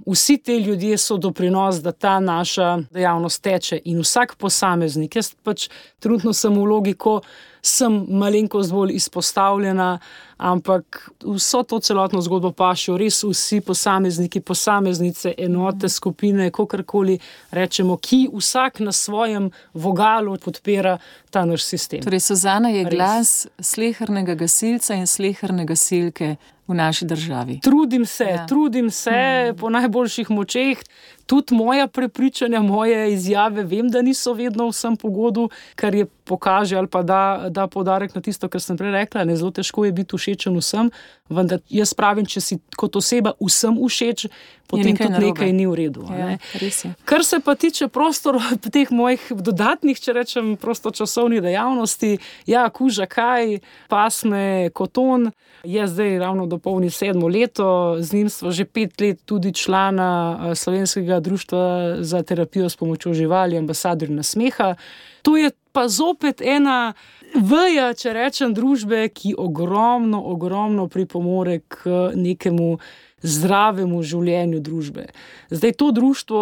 Vsi te ljudje so doprinos, da ta naša dejavnost teče in vsak posameznik, jaz pač trenutno sem v vlogi, ko sem malenkost bolj izpostavljena, ampak vso to celotno zgodbo pašijo res vsi posamezniki, posameznice, enote, skupine, kakorkoli rečemo, ki vsak na svojem vogalu podpira ta naš sistem. Torej, Suzana je glas slehernega gasilca in sleherne gasilke v naši državi. Trudim se, ja. trudim se hmm. po najboljših močeh. Tudi moja prepričanja, moje izjave, vem, da niso vedno vsem pogodu, kar je pokaže ali pa da, da poudarek na tisto, kar sem prej rekla. Ne, zelo težko je biti všečen vsem, vendar jaz pravim, če si kot oseba vsem všeč, potem nekaj tudi narobe. Nekaj ni v redu. Ja, res je. Kar se pa tiče prostor teh mojih dodatnih, če rečem, prostočasovnih dejavnosti, ja, kuža kaj, pasme, koton, je zdaj ravno dopolni sedmo leto, z njim sva že pet let tudi člana Slovenskega društva za terapijo s pomočjo živali, ambasadorji nasmeha. To je pa zopet ena veja, če rečem, družbe, ki ogromno, ogromno pripomore k nekemu zdravemu življenju družbe. Zdaj to društvo,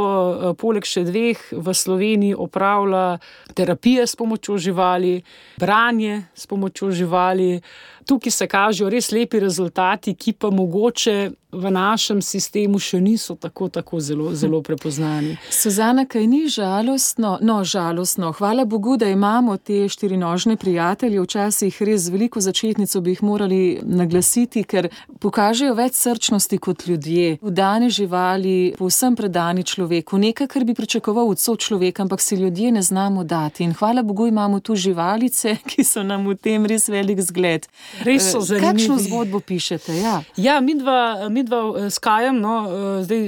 poleg še dveh, v Sloveniji opravlja terapije s pomočjo živali, branje s pomočjo živali. tukaj se kažejo res lepi rezultati, ki pa mogoče v našem sistemu še niso tako, tako zelo, zelo prepoznani. Suzana, kaj ni žalostno? No, žalostno. Hvala Bogu, da imamo te štirinožne prijatelje. Včasih res veliko začetnico bi jih morali naglasiti, ker pokažejo več srčnosti kot ljudje. Vdane živali, povsem predani človeku. Nekaj, kar bi pričakoval od sočloveka, ampak si ljudje ne znamo dati. In hvala Bogu imamo tu živalice, ki so nam v tem res velik zgled. Res so zanimivi. Kakšno zgodbo pišete? Ja, ja midva, midva s Kajem, no, zdaj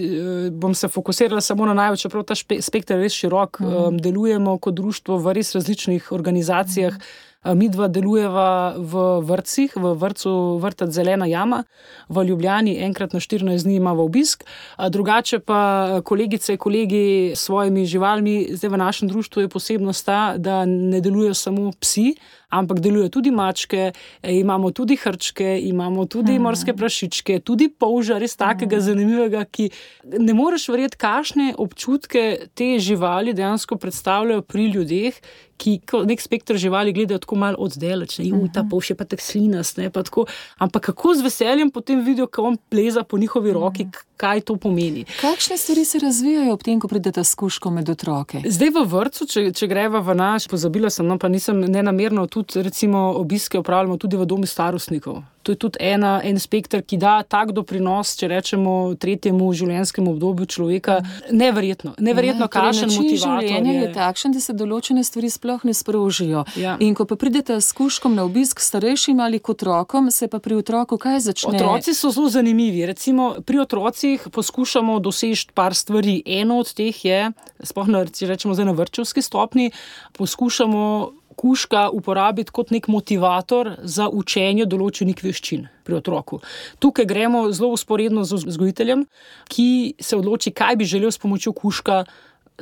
bom se fokusirala samo na največ, čeprav ta spekter je res širok, mm. delujemo kot društvo v res različnih organizacijah. Mm. Midva delujeva v vrtcih, v vrtcu Vrtec Zelena jama, v Ljubljani enkrat na štirinajst dni imamo obisk, drugače pa kolegice, kolegi s svojimi živalmi, zdaj v našem društvu je posebnost ta, da ne delujejo samo psi, ampak delujejo tudi mačke, imamo tudi hrčke, imamo tudi hmm. morske prašičke, tudi polža, res takega hmm. zanimivega, ki ne moreš verjeti, kakšne občutke te živali dejansko predstavljajo pri ljudeh, ki nek spektr živali gledajo tako malo oddaleč, ne, uh, ta polž je pa tak slinast, ne, pa tako, ampak kako z veseljem potem vidijo, ko on pleza po njihovi roki, kaj to pomeni. Kakšne stvari se razvijajo ob tem, ko pridete s kužkom med otroke? Zdaj v vrtcu, če, če greva v naš, pozabila sem, no, pa nisem nenamerno, tudi recimo obiske opravljamo tudi v domu starostnikov. To je tudi ena, en spektr, ki da tak doprinos, če rečemo, tretjemu življenjskemu obdobju človeka. Neverjetno, neverjetno, ja, kakšen motivator je. Življenje je takšen, da se določene stvari sploh ne sprožijo. Ja. In ko pa pridete s kužkom na obisk starejšim ali kot otrokom, se pa pri otroku kaj začne? Otroci so zelo zanimivi. Recimo pri otrocih poskušamo doseči par stvari. Eno od teh je, sploh na, rečemo zdaj na vrtčevski stopni, poskušamo kužka uporabiti kot nek motivator za učenje določenih veščin pri otroku. Tukaj gremo zelo usporedno z vzgojiteljem, ki se odloči, kaj bi želel s pomočjo kužka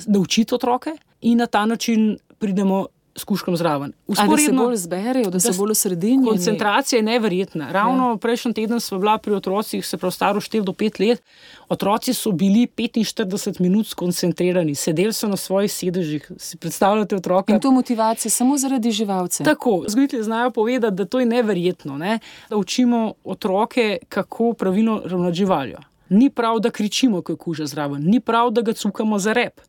naučiti otroke in na ta način pridemo s kužkom zraven. Ali se bolj zberejo, da, da se bolj osredinjeni? Koncentracija je neverjetna. Ravno ja. Prejšnji teden sva bila pri otrocih, se prav staro štiri do pet let, otroci so bili petinštirideset minut skoncentrirani, sedeli so na svojih sedežih. Si predstavljate otroka? In to motivacija samo zaradi živalce. Tako, vzgojitelji znajo povedati, da to je neverjetno, ne? Da učimo otroke, kako pravilno ravnati živaljo. Ni prav, da kričimo, ko je kuža zraven, ni prav, da ga cukamo za rep.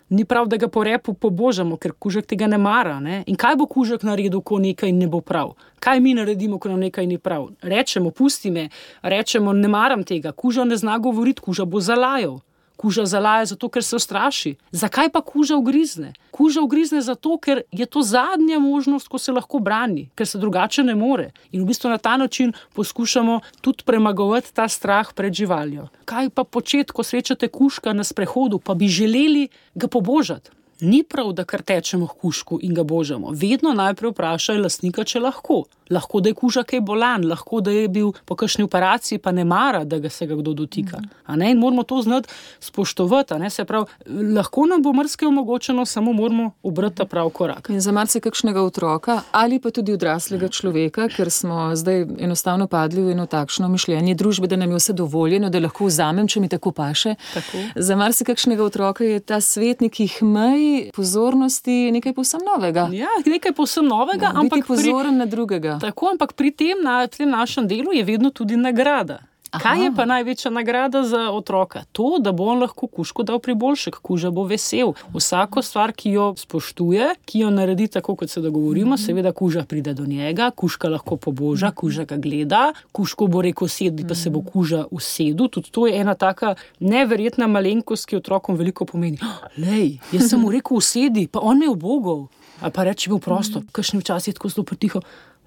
Ni prav, da ga po repu pobožamo, ker kužek tega ne mara. Ne? In kaj bo kužek naredil, ko nekaj ne bo prav? Kaj mi naredimo, ko nam nekaj ni prav? Rečemo, pusti me, rečemo, ne maram tega. Kuža ne zna govoriti, kuža bo zalajal. Kuža zalaja zato, ker se ustraši. Zakaj pa kuža ugrizne? Kuža ugrizne zato, ker je to zadnja možnost, ko se lahko brani, ker se drugače ne more. In v bistvu na ta način poskušamo tudi premagovati ta strah pred živaljo. Kaj pa početi, ko srečate kužka na sprehodu, pa bi želeli ga pobožati? Ni prav, da kar tečemo k kužku in ga božamo. Vedno najprej vprašaj lastnika, če lahko. Lahko, da je kuža kaj bolan, lahko, da je bil po kakšni operaciji, pa ne mara, da ga se ga kdo dotika. A ne? In moramo to znati spoštovati. A ne? Se pravi, lahko nam bo marsikaj omogočeno, samo moramo obrati ta prav korak. In za marsikakšnega otroka ali pa tudi odraslega človeka, ker smo zdaj enostavno padli v eno takšno mišljenje družbe, da nam je vse dovoljeno, da lahko vzamem, če mi tako paše. Tako. Za marsikakšnega otroka je ta svet nekih mej, pozornosti, nekaj povsem novega. Ja, nekaj povsem novega, no, ampak biti pozoren pri... na drugega. Tako, ampak pri tem, na tem našem delu je vedno tudi nagrada. Aha. Kaj je pa največja nagrada za otroka? To, da bo on lahko kužku dal priboljšek, kuža bo vesel. Vsako stvar, ki jo spoštuje, ki jo naredi tako, kot se dogovorimo, mm-hmm. seveda kuža pride do njega, kužka lahko poboža, kuža ga gleda, kužko bo rekel sedi, pa se bo kuža usedel. Tudi to je ena taka neverjetna malenkost, ki otrokom veliko pomeni. Lej, jaz sem mu rekel usedi, pa on me ubogel. A pa reči bil prostor, kakšni včasih je tako zelo pretiho.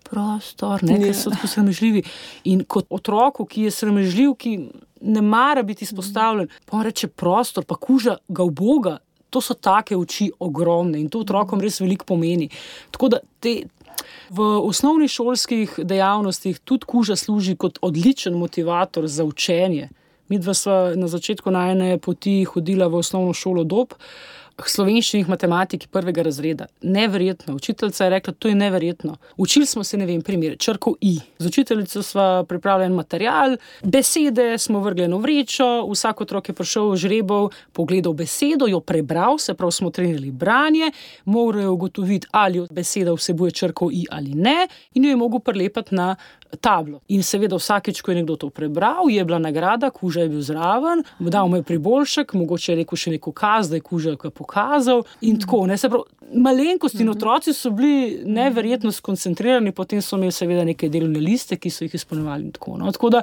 Prostor, ne, ker so tako sramežljivi. In kot otroku, ki je sramežljiv, ki ne mara biti izpostavljen, pa on reče prostor, pa kuža ga uboga, to so take oči ogromne in to otrokom res veliko pomeni. Tako da te, v osnovnih šolskih dejavnostih tudi kuža služi kot odličen motivator za učenje. Midva sva na začetku najine poti hodila v osnovno šolo Dob, slovenščini, matematiki prvega razreda. Neverjetno. Učiteljica je rekla, to je neverjetno. Učili smo se, ne vem, primer, črko I. Z učiteljico sva pripravljen material, besede smo vrgli v vrečo, vsak otrok je prišel žrebov, pogledal besedo, jo prebral, se prav smo trenirali branje, morajo ugotoviti, ali beseda vsebuje črko I ali ne, in jo je mogel prilepati na tablo. In seveda vsakič, ko je nekdo to prebral, je bila nagrada, kuža je bil zraven, dal mu je priboljšek, mogoče je rekel še neko kaz, da je kuža pokazal in tako. Ne, se prav, malenkosti in otroci so bili neverjetno skoncentrirani, potem so imeli seveda neke delovne liste, ki so jih izpolnjevali in tako. No. Tako da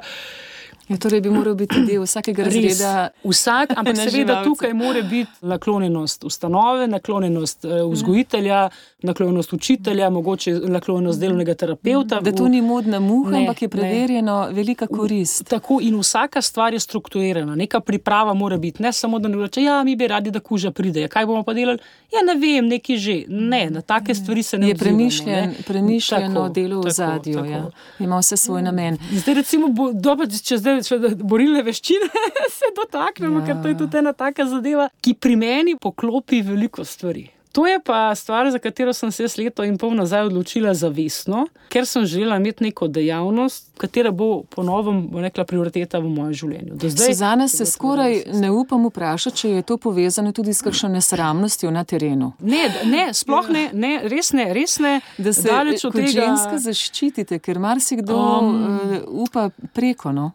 Ja, torej bi moral biti del vsakega razreda. Vsak, ampak seveda tukaj mora biti naklonjenost ustanove, naklonjenost uh, vzgojitelja, naklonjenost učitelja, mogoče naklonjenost delovnega terapeuta. Da to ni modna muha, ne, ampak je preverjeno ne. Velika korist. Tako in vsaka stvar je strukturirana, neka priprava mora biti, ne samo da ne reče, ja, mi bi radi, da kuža pride, ja, kaj bomo pa delali? Ja, ne vem, neki že. Ne, na take stvari se ne je odzivamo. Je premišljen, premišljeno delo v zadju, ja. Ima vse svoj namen. Zdaj recimo, bo, dobro, če zdaj borilne veščine se dotaknemo, ja. Ker to je tudi ena taka zadeva, ki pri meni poklopi veliko stvari. To je pa stvar, za katero sem se leto in pol nazaj odločila zavestno, ker sem želela imeti neko dejavnost, katera bo po novem, bo rekla, prioriteta v mojem življenju. Do zdaj, Suzana, se skoraj ne upam vprašati, če je to povezano tudi s kakšno nesramnostjo na terenu. Ne, ne, sploh ne, ne, res ne, res ne. Da se kot tega... ženska zaščitite, ker marsikdo um, uh, upa preko, no?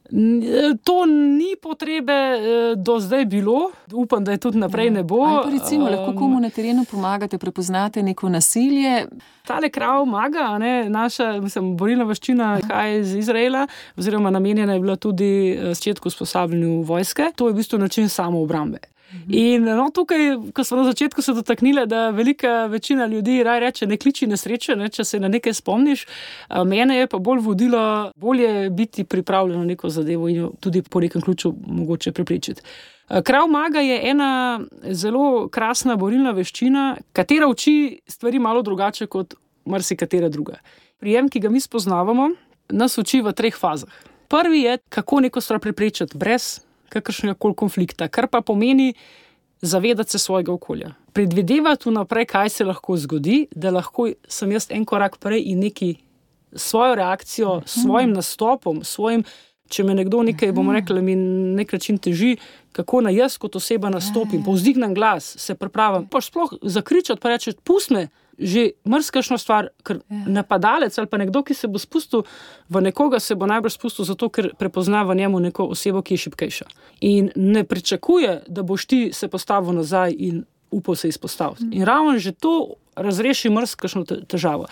To ni potrebe do zdaj bilo, upam, da je tudi naprej ne bo. Ali pa recimo, um, lahko komu na terenu pomagate, prepoznate neko nasilje? Tale Krav Maga, ne, naša, mislim, borilna veščina, kaj iz Izraela, oziroma namenjena je bila tudi začetku usposabljanju vojske. To je v bistvu način samoobrambe. In no, tukaj, ko smo na začetku se dotaknili, da velika večina ljudi raj reče, ne kliči nesreče, ne, če se na nekaj spomniš, mene je pa bolj vodilo, bolje biti pripravljen na neko zadevo in jo tudi po nekem ključu mogoče prepričati. Krav Maga je ena zelo krasna borilna veščina, katera uči stvari malo drugače kot marsikatera druga. Prijem, ki ga mi spoznavamo, nas uči v treh fazah. Prvi je, kako neko stvar preprečiti brez kakršnega koli konflikta, kar pa pomeni zavedati se svojega okolja. Predvidevati vnaprej, kaj se lahko zgodi, da lahko sem jaz en korak prej in neki svojo reakcijo, svojim nastopom, svojim, če me nekdo nekaj, bomo rekli, mi nek način teži, kako na jaz kot oseba nastopim, povzdignem glas, se pripravim, pa sploh zakričati, pa reči, pusti me, že mrskašno stvar, ker napadalec ali pa nekdo, ki se bo spustil v nekoga, se bo najbrž spustil zato, ker prepozna v njemu neko osebo, ki je šibkejša. In ne pričakuje, da boš ti se postavil nazaj in upal se izpostaviti. In ravno že to razreši mrskašno težavo.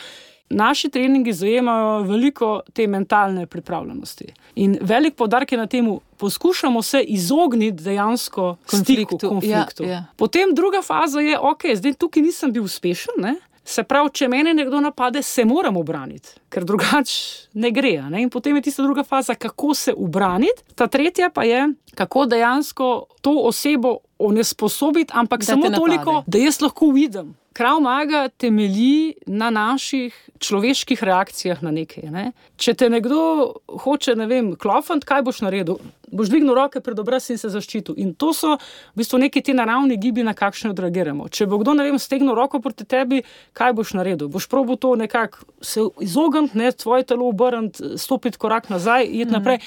Naši treningi zajemajo veliko te mentalne pripravljenosti. In velik poudarek je na temu, poskušamo se izogniti dejansko konfliktu. Stiku, konfliktu. Ja, ja. Potem druga faza je, ok, zdaj tukaj nisem bil uspešen, ne? Se pravi, če mene nekdo napade, se moram obraniti, ker drugač ne gre. Ne? In potem je tista druga faza, kako se ubraniti. Ta tretja pa je, kako dejansko to osebo onesposobiti, ampak da samo toliko, da jaz lahko vidim. Krav Maga temelji na naših človeških reakcijah na nekaj. Ne? Če te nekdo hoče, ne vem, klofant, kaj boš naredil? Boš dvignil roke pred obraz in se zaščitil. In to so v bistvu neki ti naravni gibi, na kakšne odreagiramo. Če bo kdo, ne vem, stegnil roko proti tebi, kaj boš naredil? Boš probal to nekako se izogniti, ne, tvoje telo obrniti, stopiti korak nazaj, iti mm. naprej.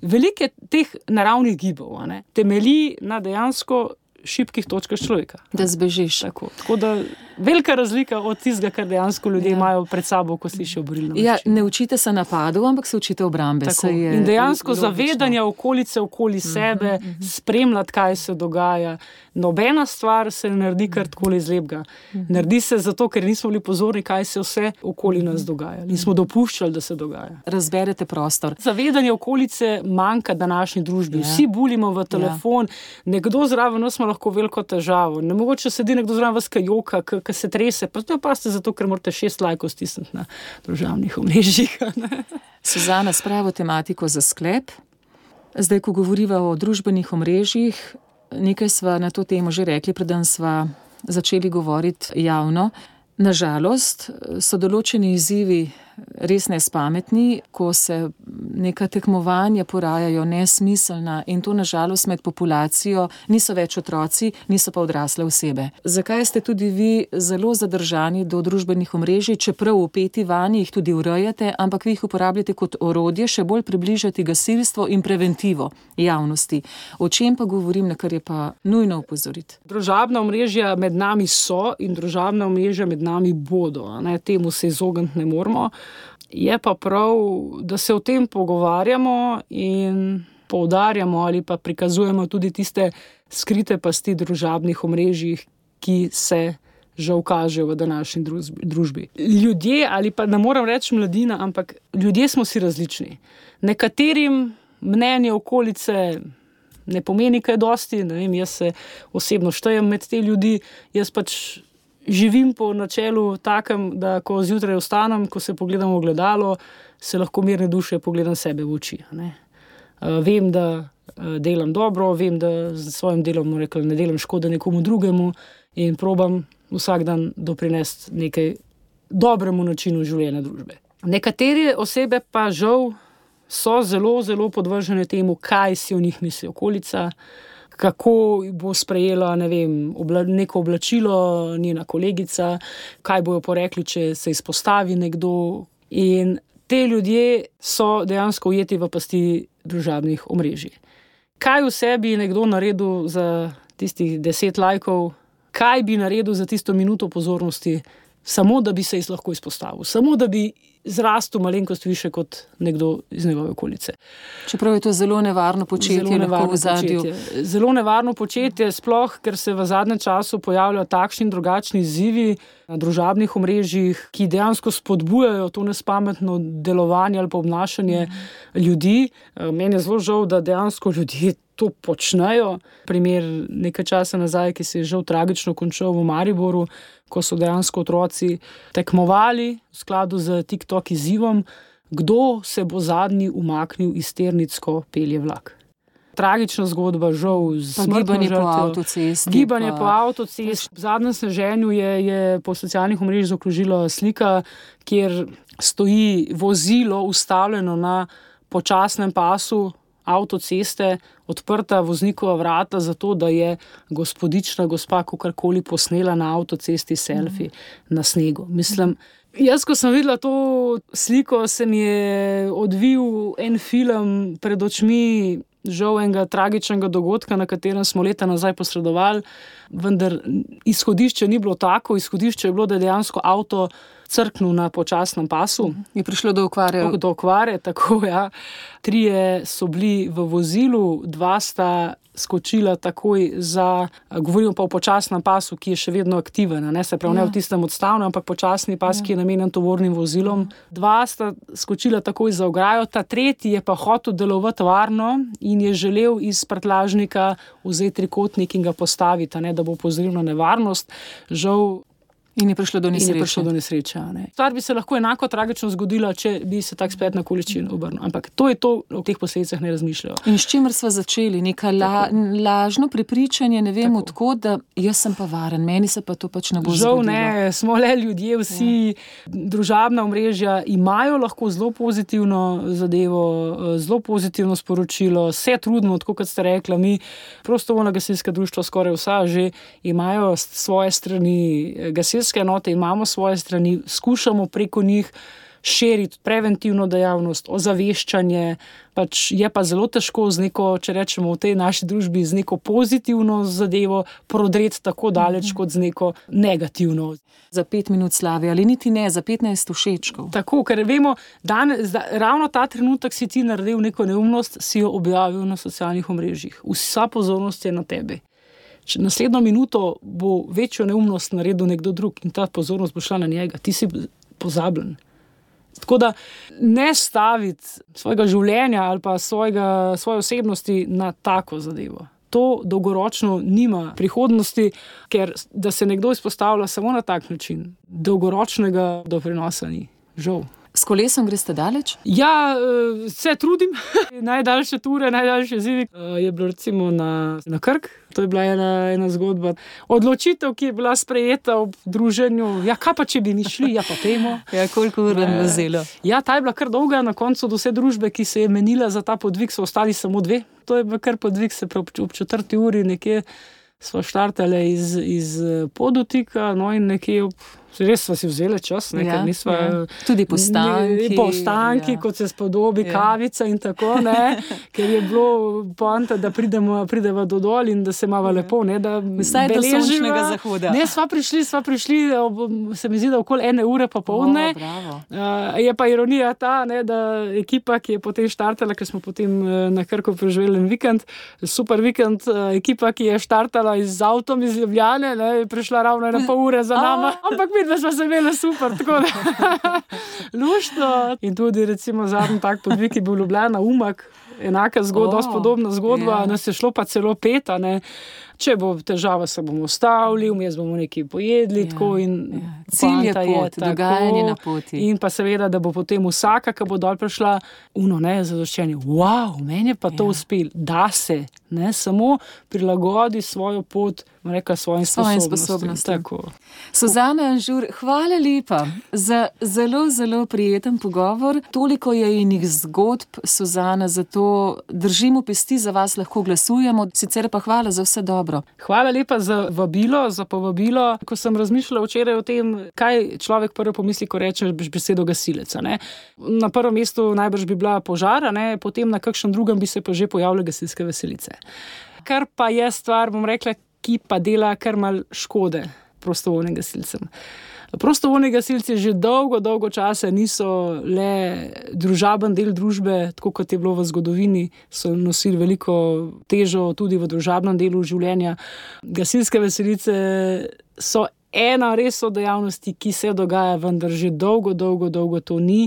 Velike teh naravnih gibov, ne, temelji na dejansko šibkih točkah človeka. Da zbežiš. Tako, tako da velika razlika od tistega, kar dejansko ljudje ja. imajo pred sabo, ko slišijo borilno veščino. Ja, ne učite se napadov, ampak se učite obrambe. In dejansko logično. Zavedanje okolice okoli sebe, uh-huh, uh-huh. spremljati, kaj se dogaja. Nobena stvar se ne naredi kar takole iz lepega. Uh-huh. Naredi se zato, ker nismo bili pozorni, kaj se vse okoli nas dogaja. Nismo dopuščali, da se dogaja. Razberete prostor. Zavedanje okolice manjka današnji družbi. Ja. Vsi bulimo v telefon, ja. nekdo zraven nas ima lahko veliko težavo. Ne mogoče sedi nekdo zraven vas, kaj joka, ki se trese, pa to pa ste zato, ker morate šest lajkov stisniti na družabnih omrežjih. Suzana, s pravo tematiko za sklep. Zdaj, ko govoriva o družbenih omrežjih, nekaj sva na to temo že rekli, preden sva začeli govoriti javno. Nažalost so določeni izzivi res nespametni, ko se neka tekmovanja porajajo nesmiselna in to nažalost med populacijo niso več otroci, niso pa odrasle osebe. Zakaj ste tudi vi zelo zadržani do družbenih omrežij, čeprav vpeti vanje jih tudi urejate, ampak vi jih uporabljate kot orodje še bolj približati gasilstvo in preventivo javnosti. O čem pa govorim, na kar je pa nujno opozoriti? Družabna omrežja med nami so in družabna omrežja med nami bodo. Ne? Temu se izogniti ne moremo. Je pa prav, da se o tem pogovarjamo in poudarjamo ali pa prikazujemo tudi tiste skrite pasti družabnih omrežjih, ki se žal kažejo v današnji družbi. Ljudje, ali pa ne moram reči mladina, ampak ljudje smo si različni. Nekaterim mnenje okolice ne pomeni kaj dosti, ne vem, jaz se osebno štejem med te ljudi, jaz pač živim po načelu takem, da ko zjutraj vstanem, ko se pogledam v ogledalo, se lahko mirne duše pogledam sebe v oči. Ne? Uh, vem, da uh, delam dobro, vem, da z svojim delom rekla, ne delam škode nekomu drugemu in probam vsak dan doprinesti nekaj dobremu načinu življenja družbe. Nekatere osebe pa žal so zelo, zelo podvržene temu, kaj si o njih misli okolica, kako bo sprejela, ne vem, obla, neko oblačilo njena kolegica, kaj bojo porekli, če se izpostavi nekdo. In te ljudje so dejansko ujeti v pasti družabnih omrežij. Kaj vse bi nekdo naredil za tistih deset lajkov, kaj bi naredil za tisto minuto pozornosti, samo da bi se jih lahko izpostavil, samo da bi zrastel malenkost više kot nekdo iz njegove okolice. Čeprav je to zelo nevarno početje, zelo nevarno v zadju. Početje. Zelo nevarno početje, sploh, ker se v zadnjem času pojavljajo takšni in drugačni izzivi na družabnih omrežjih, ki dejansko spodbujajo to nespametno delovanje ali pa obnašanje mm. ljudi. Meni je zelo žal, da dejansko ljudje to počnejo. Primer nekaj časa nazaj, ki se je žal tragično končal v Mariboru, ko so dejansko otroci tekmovali v skladu z TikTok izzivom, kdo se bo zadnji umaknil iz tirnic, ko pelje vlak. Tragična zgodba, žal, z smrtno gibanje žrtvijo. po avtocesti. Gibanje pa... po avtocesti. V zadnjem sneženju je, je po socialnih omrežjih zaokrožila slika, kjer stoji vozilo ustavljeno na počasnem pasu avtoceste, odprta voznikova vrata zato, da je gospodična gospa kakorkoli posnela na avtocesti selfie mm. na snegu. Mislim, jaz, ko sem videla to sliko, se mi je odvil en film pred očmi, žal enega tragičnega dogodka, na katerem smo leta nazaj posredovali, vendar izhodišče ni bilo tako, izhodišče je bilo, da je dejansko avto crknil na počasnem pasu. Je prišlo do okvare. Do okvare, tako, ja. Trije so bili v vozilu, dva sta skočila takoj za, govorimo pa o počasnem pasu, ki je še vedno aktiven, ne, se pravi, ja. Ne v tistem odstavnem, ampak počasni pas, ja. Ki je namenjen tovornim vozilom. Dva sta skočila takoj za ograjo, ta tretji je pa hotel delovati varno in je želel iz prtljažnika vzeti trikotnik in ga postaviti, ne, da bo opozoril na nevarnost. Žal In je prišlo do nesreče. In je prišlo do nesreče, ne. Stvar bi se lahko enako tragično zgodila, če bi se tak splet na količino obrnil. Ampak to je to, o teh posledicah ne razmišljajo. In s čimer sva začeli? Neka la, lažno prepričanje, ne vem odkot, da jaz sem pa varen, meni se pa to pač ne bo Žal zgodilo. ne, smo le ljudje, vsi ja. Družabna omrežja imajo lahko zelo pozitivno zadevo, zelo pozitivno sporočilo, se trudimo, tako kot ste rekla, mi prostovoljna gasilska društva skoraj vsa že imajo svoje strani gasilske enote, imamo svoje strani, skušamo preko njih širiti preventivno dejavnost, ozaveščanje, pač je pa zelo težko z neko, če rečemo v tej naši družbi, z neko pozitivno zadevo prodreti tako daleč mm-hmm. kot z neko negativno. Za pet minut slave ali niti ne, za petnajst všečkov. Tako, ker vemo, danes, da, ravno ta trenutek si ti naredil neko neumnost, si jo objavil na socialnih omrežjih. Vsa pozornost je na tebi. Naslednjo minuto bo večjo neumnost naredil nekdo drug in ta pozornost bo šla na njega. Ti si pozabljen. Tako da ne staviti svojega življenja ali pa svojega, svoje osebnosti na tako zadevo. To dolgoročno nima prihodnosti, ker da se nekdo izpostavlja samo na tak način, dolgoročnega doprinosa ni. Žal. S kolesom greste daleč? Ja, se trudim. Najdaljše ture, najdaljše zivi je bilo recimo na, na Krk. To je bila ena, ena zgodba. Odločitev, ki je bila sprejeta ob druženju. Ja, kaj pa, če bi mi šli? Ja, pa pejmo. Ja, koliko ur vam vzelo? Ja, ta je bila kar dolga. Na koncu do vse družbe, ki se je menila za ta podvig, so ostali samo dve. To je bil kar podvig, se prav ob četrti uri nekje smo štartali iz, iz Podotika, no in nekje ob res sva si vzeli čas, ne, ja, ker nisva... Ja. Tudi postanki. Postanki, ja. Kot se spodobi, ja. Kavica in tako, ne, ker je bilo poanta, da pridemo, prideva do dol in da se mava ja. Lepo, ne, da vsaj do sončnega zahoda. Ne, sva prišli, sva prišli, se mi zdi, da okoli ene ure pa polne. O, uh, je pa ironija ta, ne, da ekipa, ki je potem štartala, ker smo potem na Krku preživeli en vikend, super vikend, ekipa, ki je štartala z avtom iz Ljubljane, ne, je prišla ravno ena pol ure za nama, ampak mi da smo se imeli super, tako da luštno. In tudi recimo zadnji tak podvig je bil Ljubljana, Umag, enaka zgodba, oh, podobna zgodba, yeah. Nas je šlo pa celo peta, ne. Če bo težava, se bomo ustavili, vmes bomo nekaj pojedli, yeah, tako in yeah. Cilj je pot, je dogajanje na poti. In pa seveda, da bo potem vsaka, ki bo dol prišla, uno, ne, zadoščenje, wow, meni je pa yeah. to uspel, da se, ne, samo prilagodi svojo pot, reka, svojim sposobnostim. Suzana Anžur, hvala lepa za zelo, zelo prijeten pogovor. Toliko je inih zgodb, Suzana, zato držimo pesti, za vas lahko glasujemo, sicer pa hvala za vse dobro. Hvala lepa za vabilo, za povabilo. Ko sem razmišljala včeraj o tem, kaj človek prvo pomisli, ko reče besedo gasilec, ne. Na prvem mestu najbrž bi bila požara, ne, potem na kakšnem drugem bi se pa že pojavile gasilske veselice. Kar pa je stvar, bom rekla, ki pa dela kar mal škode prostovoljnim gasilcem. Prostovoljni gasilci že dolgo, dolgo časa niso le družaben del družbe, tako kot je bilo v zgodovini, so nosili veliko težo tudi v družabnem delu življenja. Gasilske veselice so ena res od dejavnosti, ki se dogaja, vendar že dolgo, dolgo, dolgo to ni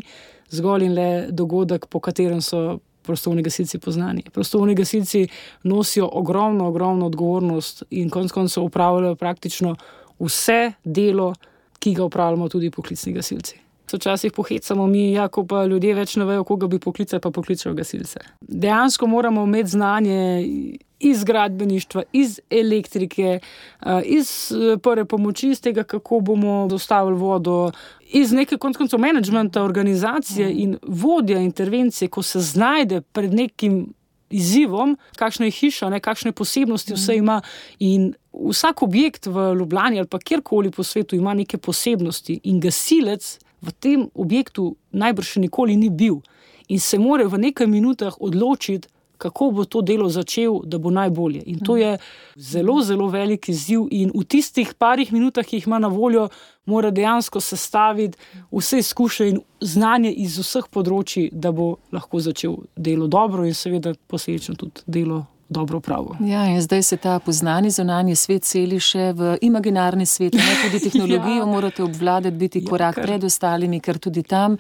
zgolj in le dogodek, po katerem so prostovoljni gasilci poznani. Prostovoljni gasilci nosijo ogromno, ogromno odgovornost in konec koncev upravljajo praktično vse delo, ki ga upravljamo tudi poklicni gasilci. Včasih pohecamo mi, ja, ko pa ljudje več ne vejo, koga bi poklicali, pa pokličajo gasilce. Dejansko moramo imeti znanje iz gradbeništva, iz elektrike, iz prve pomoči, iz tega, kako bomo dostavili vodo, iz neke konec koncev menedžmenta, organizacije in vodja intervencije, ko se znajde pred nekim izzivom, kakšna je hiša, ne, kakšne posebnosti vse ima in vsak objekt v Ljubljani ali pa kjerkoli po svetu ima neke posebnosti in gasilec v tem objektu najbrž še nikoli ni bil in se mora v nekaj minutah odločiti, kako bo to delo začel, da bo najbolje. In to je zelo, zelo velik izziv in v tistih parih minutah, ki jih ima na voljo, mora dejansko sestaviti vse izkušnje in znanje iz vseh področji, da bo lahko začel delo dobro in seveda posledično tudi delo dobro pravo. Ja, in zdaj se ta poznani zunanji svet seli še v imaginarni svet, ne, tudi tehnologijo ja. Morate obvladati, biti korak ja, kar... pred ostalimi, ker tudi tam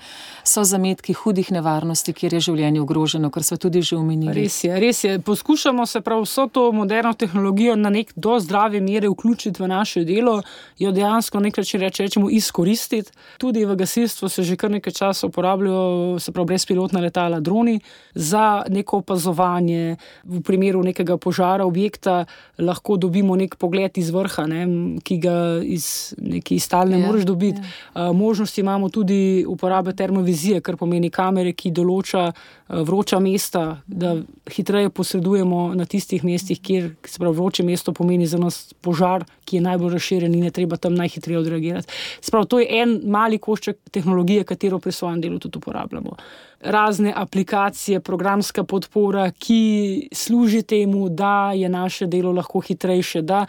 so zametki hudih nevarnosti, kjer je življenje ogroženo, kar smo tudi že omenili. Res je, res je. Poskušamo se prav vso to moderno tehnologijo na nek do zdrave mere vključiti v naše delo, jo dejansko nekaj reče, rečemo izkoristiti. Tudi v gasilstvu se že kar nekaj časa uporabljajo, se prav brezpilotna letala, droni, za neko opazovanje v primeru nekega požara objekta lahko dobimo nek pogled iz vrha, ne, ki ga iz neki stalne ja, moreš dobiti. Ja. Možnosti imamo tudi uporabe termovizije, kar pomeni kamere, ki določa vroča mesta, da hitreje posredujemo na tistih mestih, kjer se pravi vroče mesto pomeni za nas požar, ki je najbolj razširjen in je treba tam najhitreje odreagirati. Se pravi, to je en mali košček tehnologije, katero pri svojem delu tudi uporabljamo. Razne aplikacije, programska podpora, ki služi temu, da je naše delo lahko hitrejše, da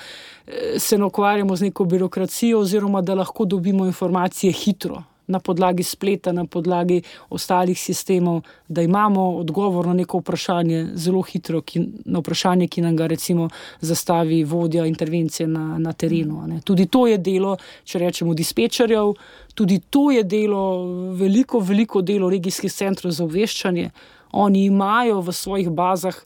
se ne ukvarjamo z neko birokracijo oziroma da lahko dobimo informacije hitro na podlagi spleta, na podlagi ostalih sistemov, da imamo odgovor na neko vprašanje zelo hitro, ki, na vprašanje, ki nam ga recimo zastavi vodja intervencije na, na terenu. Ne. Tudi to je delo, če rečemo, dispečerjev, tudi to je delo, veliko, veliko delo regijskih centrov za obveščanje. Oni imajo v svojih bazah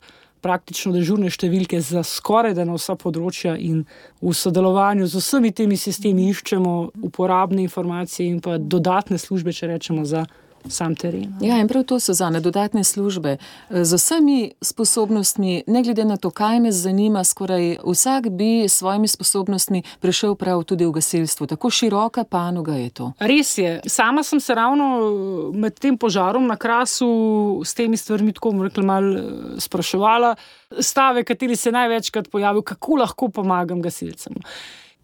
praktično dežurne številke za skoraj da na vsa področja in v sodelovanju z vsemi temi sistemi iščemo uporabne informacije in pa dodatne službe, če rečemo, za sam teren. Ja, in prav to so Suzana, dodatne službe. Z vsemi sposobnostmi, ne glede na to, kaj me zanima, skoraj vsak bi s svojimi sposobnostmi prišel prav tudi v gasilstvo. Tako široka panoga je to. Res je. Sama sem se ravno med tem požarom na Krasu s temi stvarmi tako rekla, malo spraševala. Stave, kateri se največkrat pojavil, kako lahko pomagam gasilcem.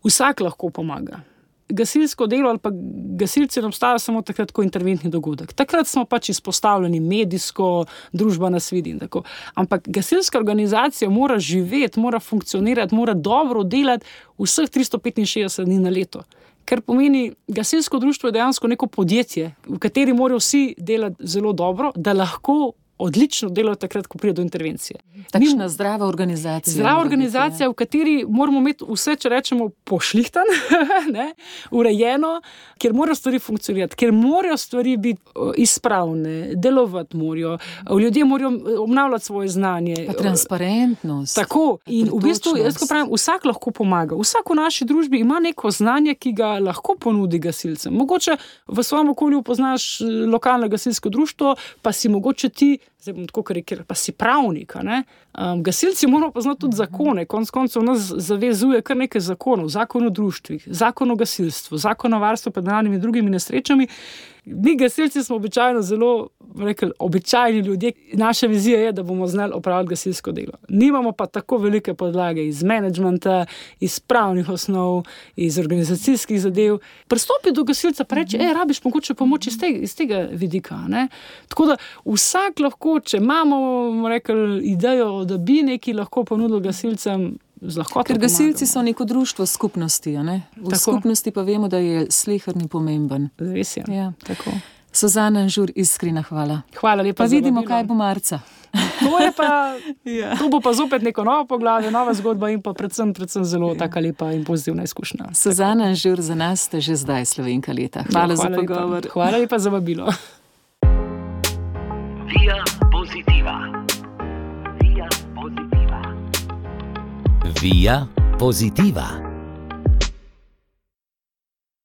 Vsak lahko pomaga. Gasilsko delo ali pa gasilci ne obstajajo samo takrat, ko je interventni dogodek. Takrat smo pač izpostavljeni medijsko, družba nas vidi in tako. Ampak gasilska organizacija mora živeti, mora funkcionirati, mora dobro delati vseh tristo petinšestdeset dni na leto. Ker pomeni, gasilsko društvo je dejansko neko podjetje, v kateri morajo vsi delati zelo dobro, da lahko odlično delajo takrat, ko pride do intervencije. Takšna zdrava organizacija. Zdrava organizacija, v kateri moramo imeti vse, če rečemo, pošlihtan, ne, urejeno, kjer morajo stvari funkcionirati, kjer morajo stvari biti izpravne, delovati morajo, ljudje morajo obnavljati svoje znanje. Pa transparentnost. Tako. In v bistvu, jaz ko pravim, vsak lahko pomaga. Vsak v naši družbi ima neko znanje, ki ga lahko ponudi gasilcem. Mogoče v svojem okolju poznaš lokalno gasilsko društvo, pa si mogoče ti zdaj bom tako karikiral, pa si pravnik, ne? Um, gasilci moramo poznati tudi zakone, konec koncev nas zavezuje kar nekaj zakonov, zakon o društvih, zakon o gasilstvu, zakon o varstvu pred naravnimi in drugimi nesrečami. Mi gasilci smo običajno zelo, rekel, običajni ljudje. Naša vizija je, da bomo znali opraviti gasilsko delo. Nimamo pa tako velike podlage iz menedžmenta, iz pravnih osnov, iz organizacijskih zadev. Pristopi do gasilca pa reče, ej, rabiš mogoče pomoč iz tega, iz tega vidika, ne? Tako da vsak lahko, če imamo, rekel, idejo, da bi neki lahko ponudili gasilcem, ker gasilci so neko društvo skupnosti, a ne? V tako. Skupnosti pa vemo, da je sleherni pomemben. Res je. Ja. Tako. Suzana Anžur, iskrena hvala. Hvala lepa. Pa vidimo, kaj bo marca. To je pa, ja. To bo pa zopet neko novo poglavje, nova zgodba in pa predvsem, predvsem zelo ja. Taka lepa in pozitivna izkušnja. Suzana Anžur, za nas ste že zdaj Slovenka leta. Hvala, no, hvala za pogovor. Lepa. Hvala lepa za vabilo. Via Positiva. Via Positiva. Via Positiva.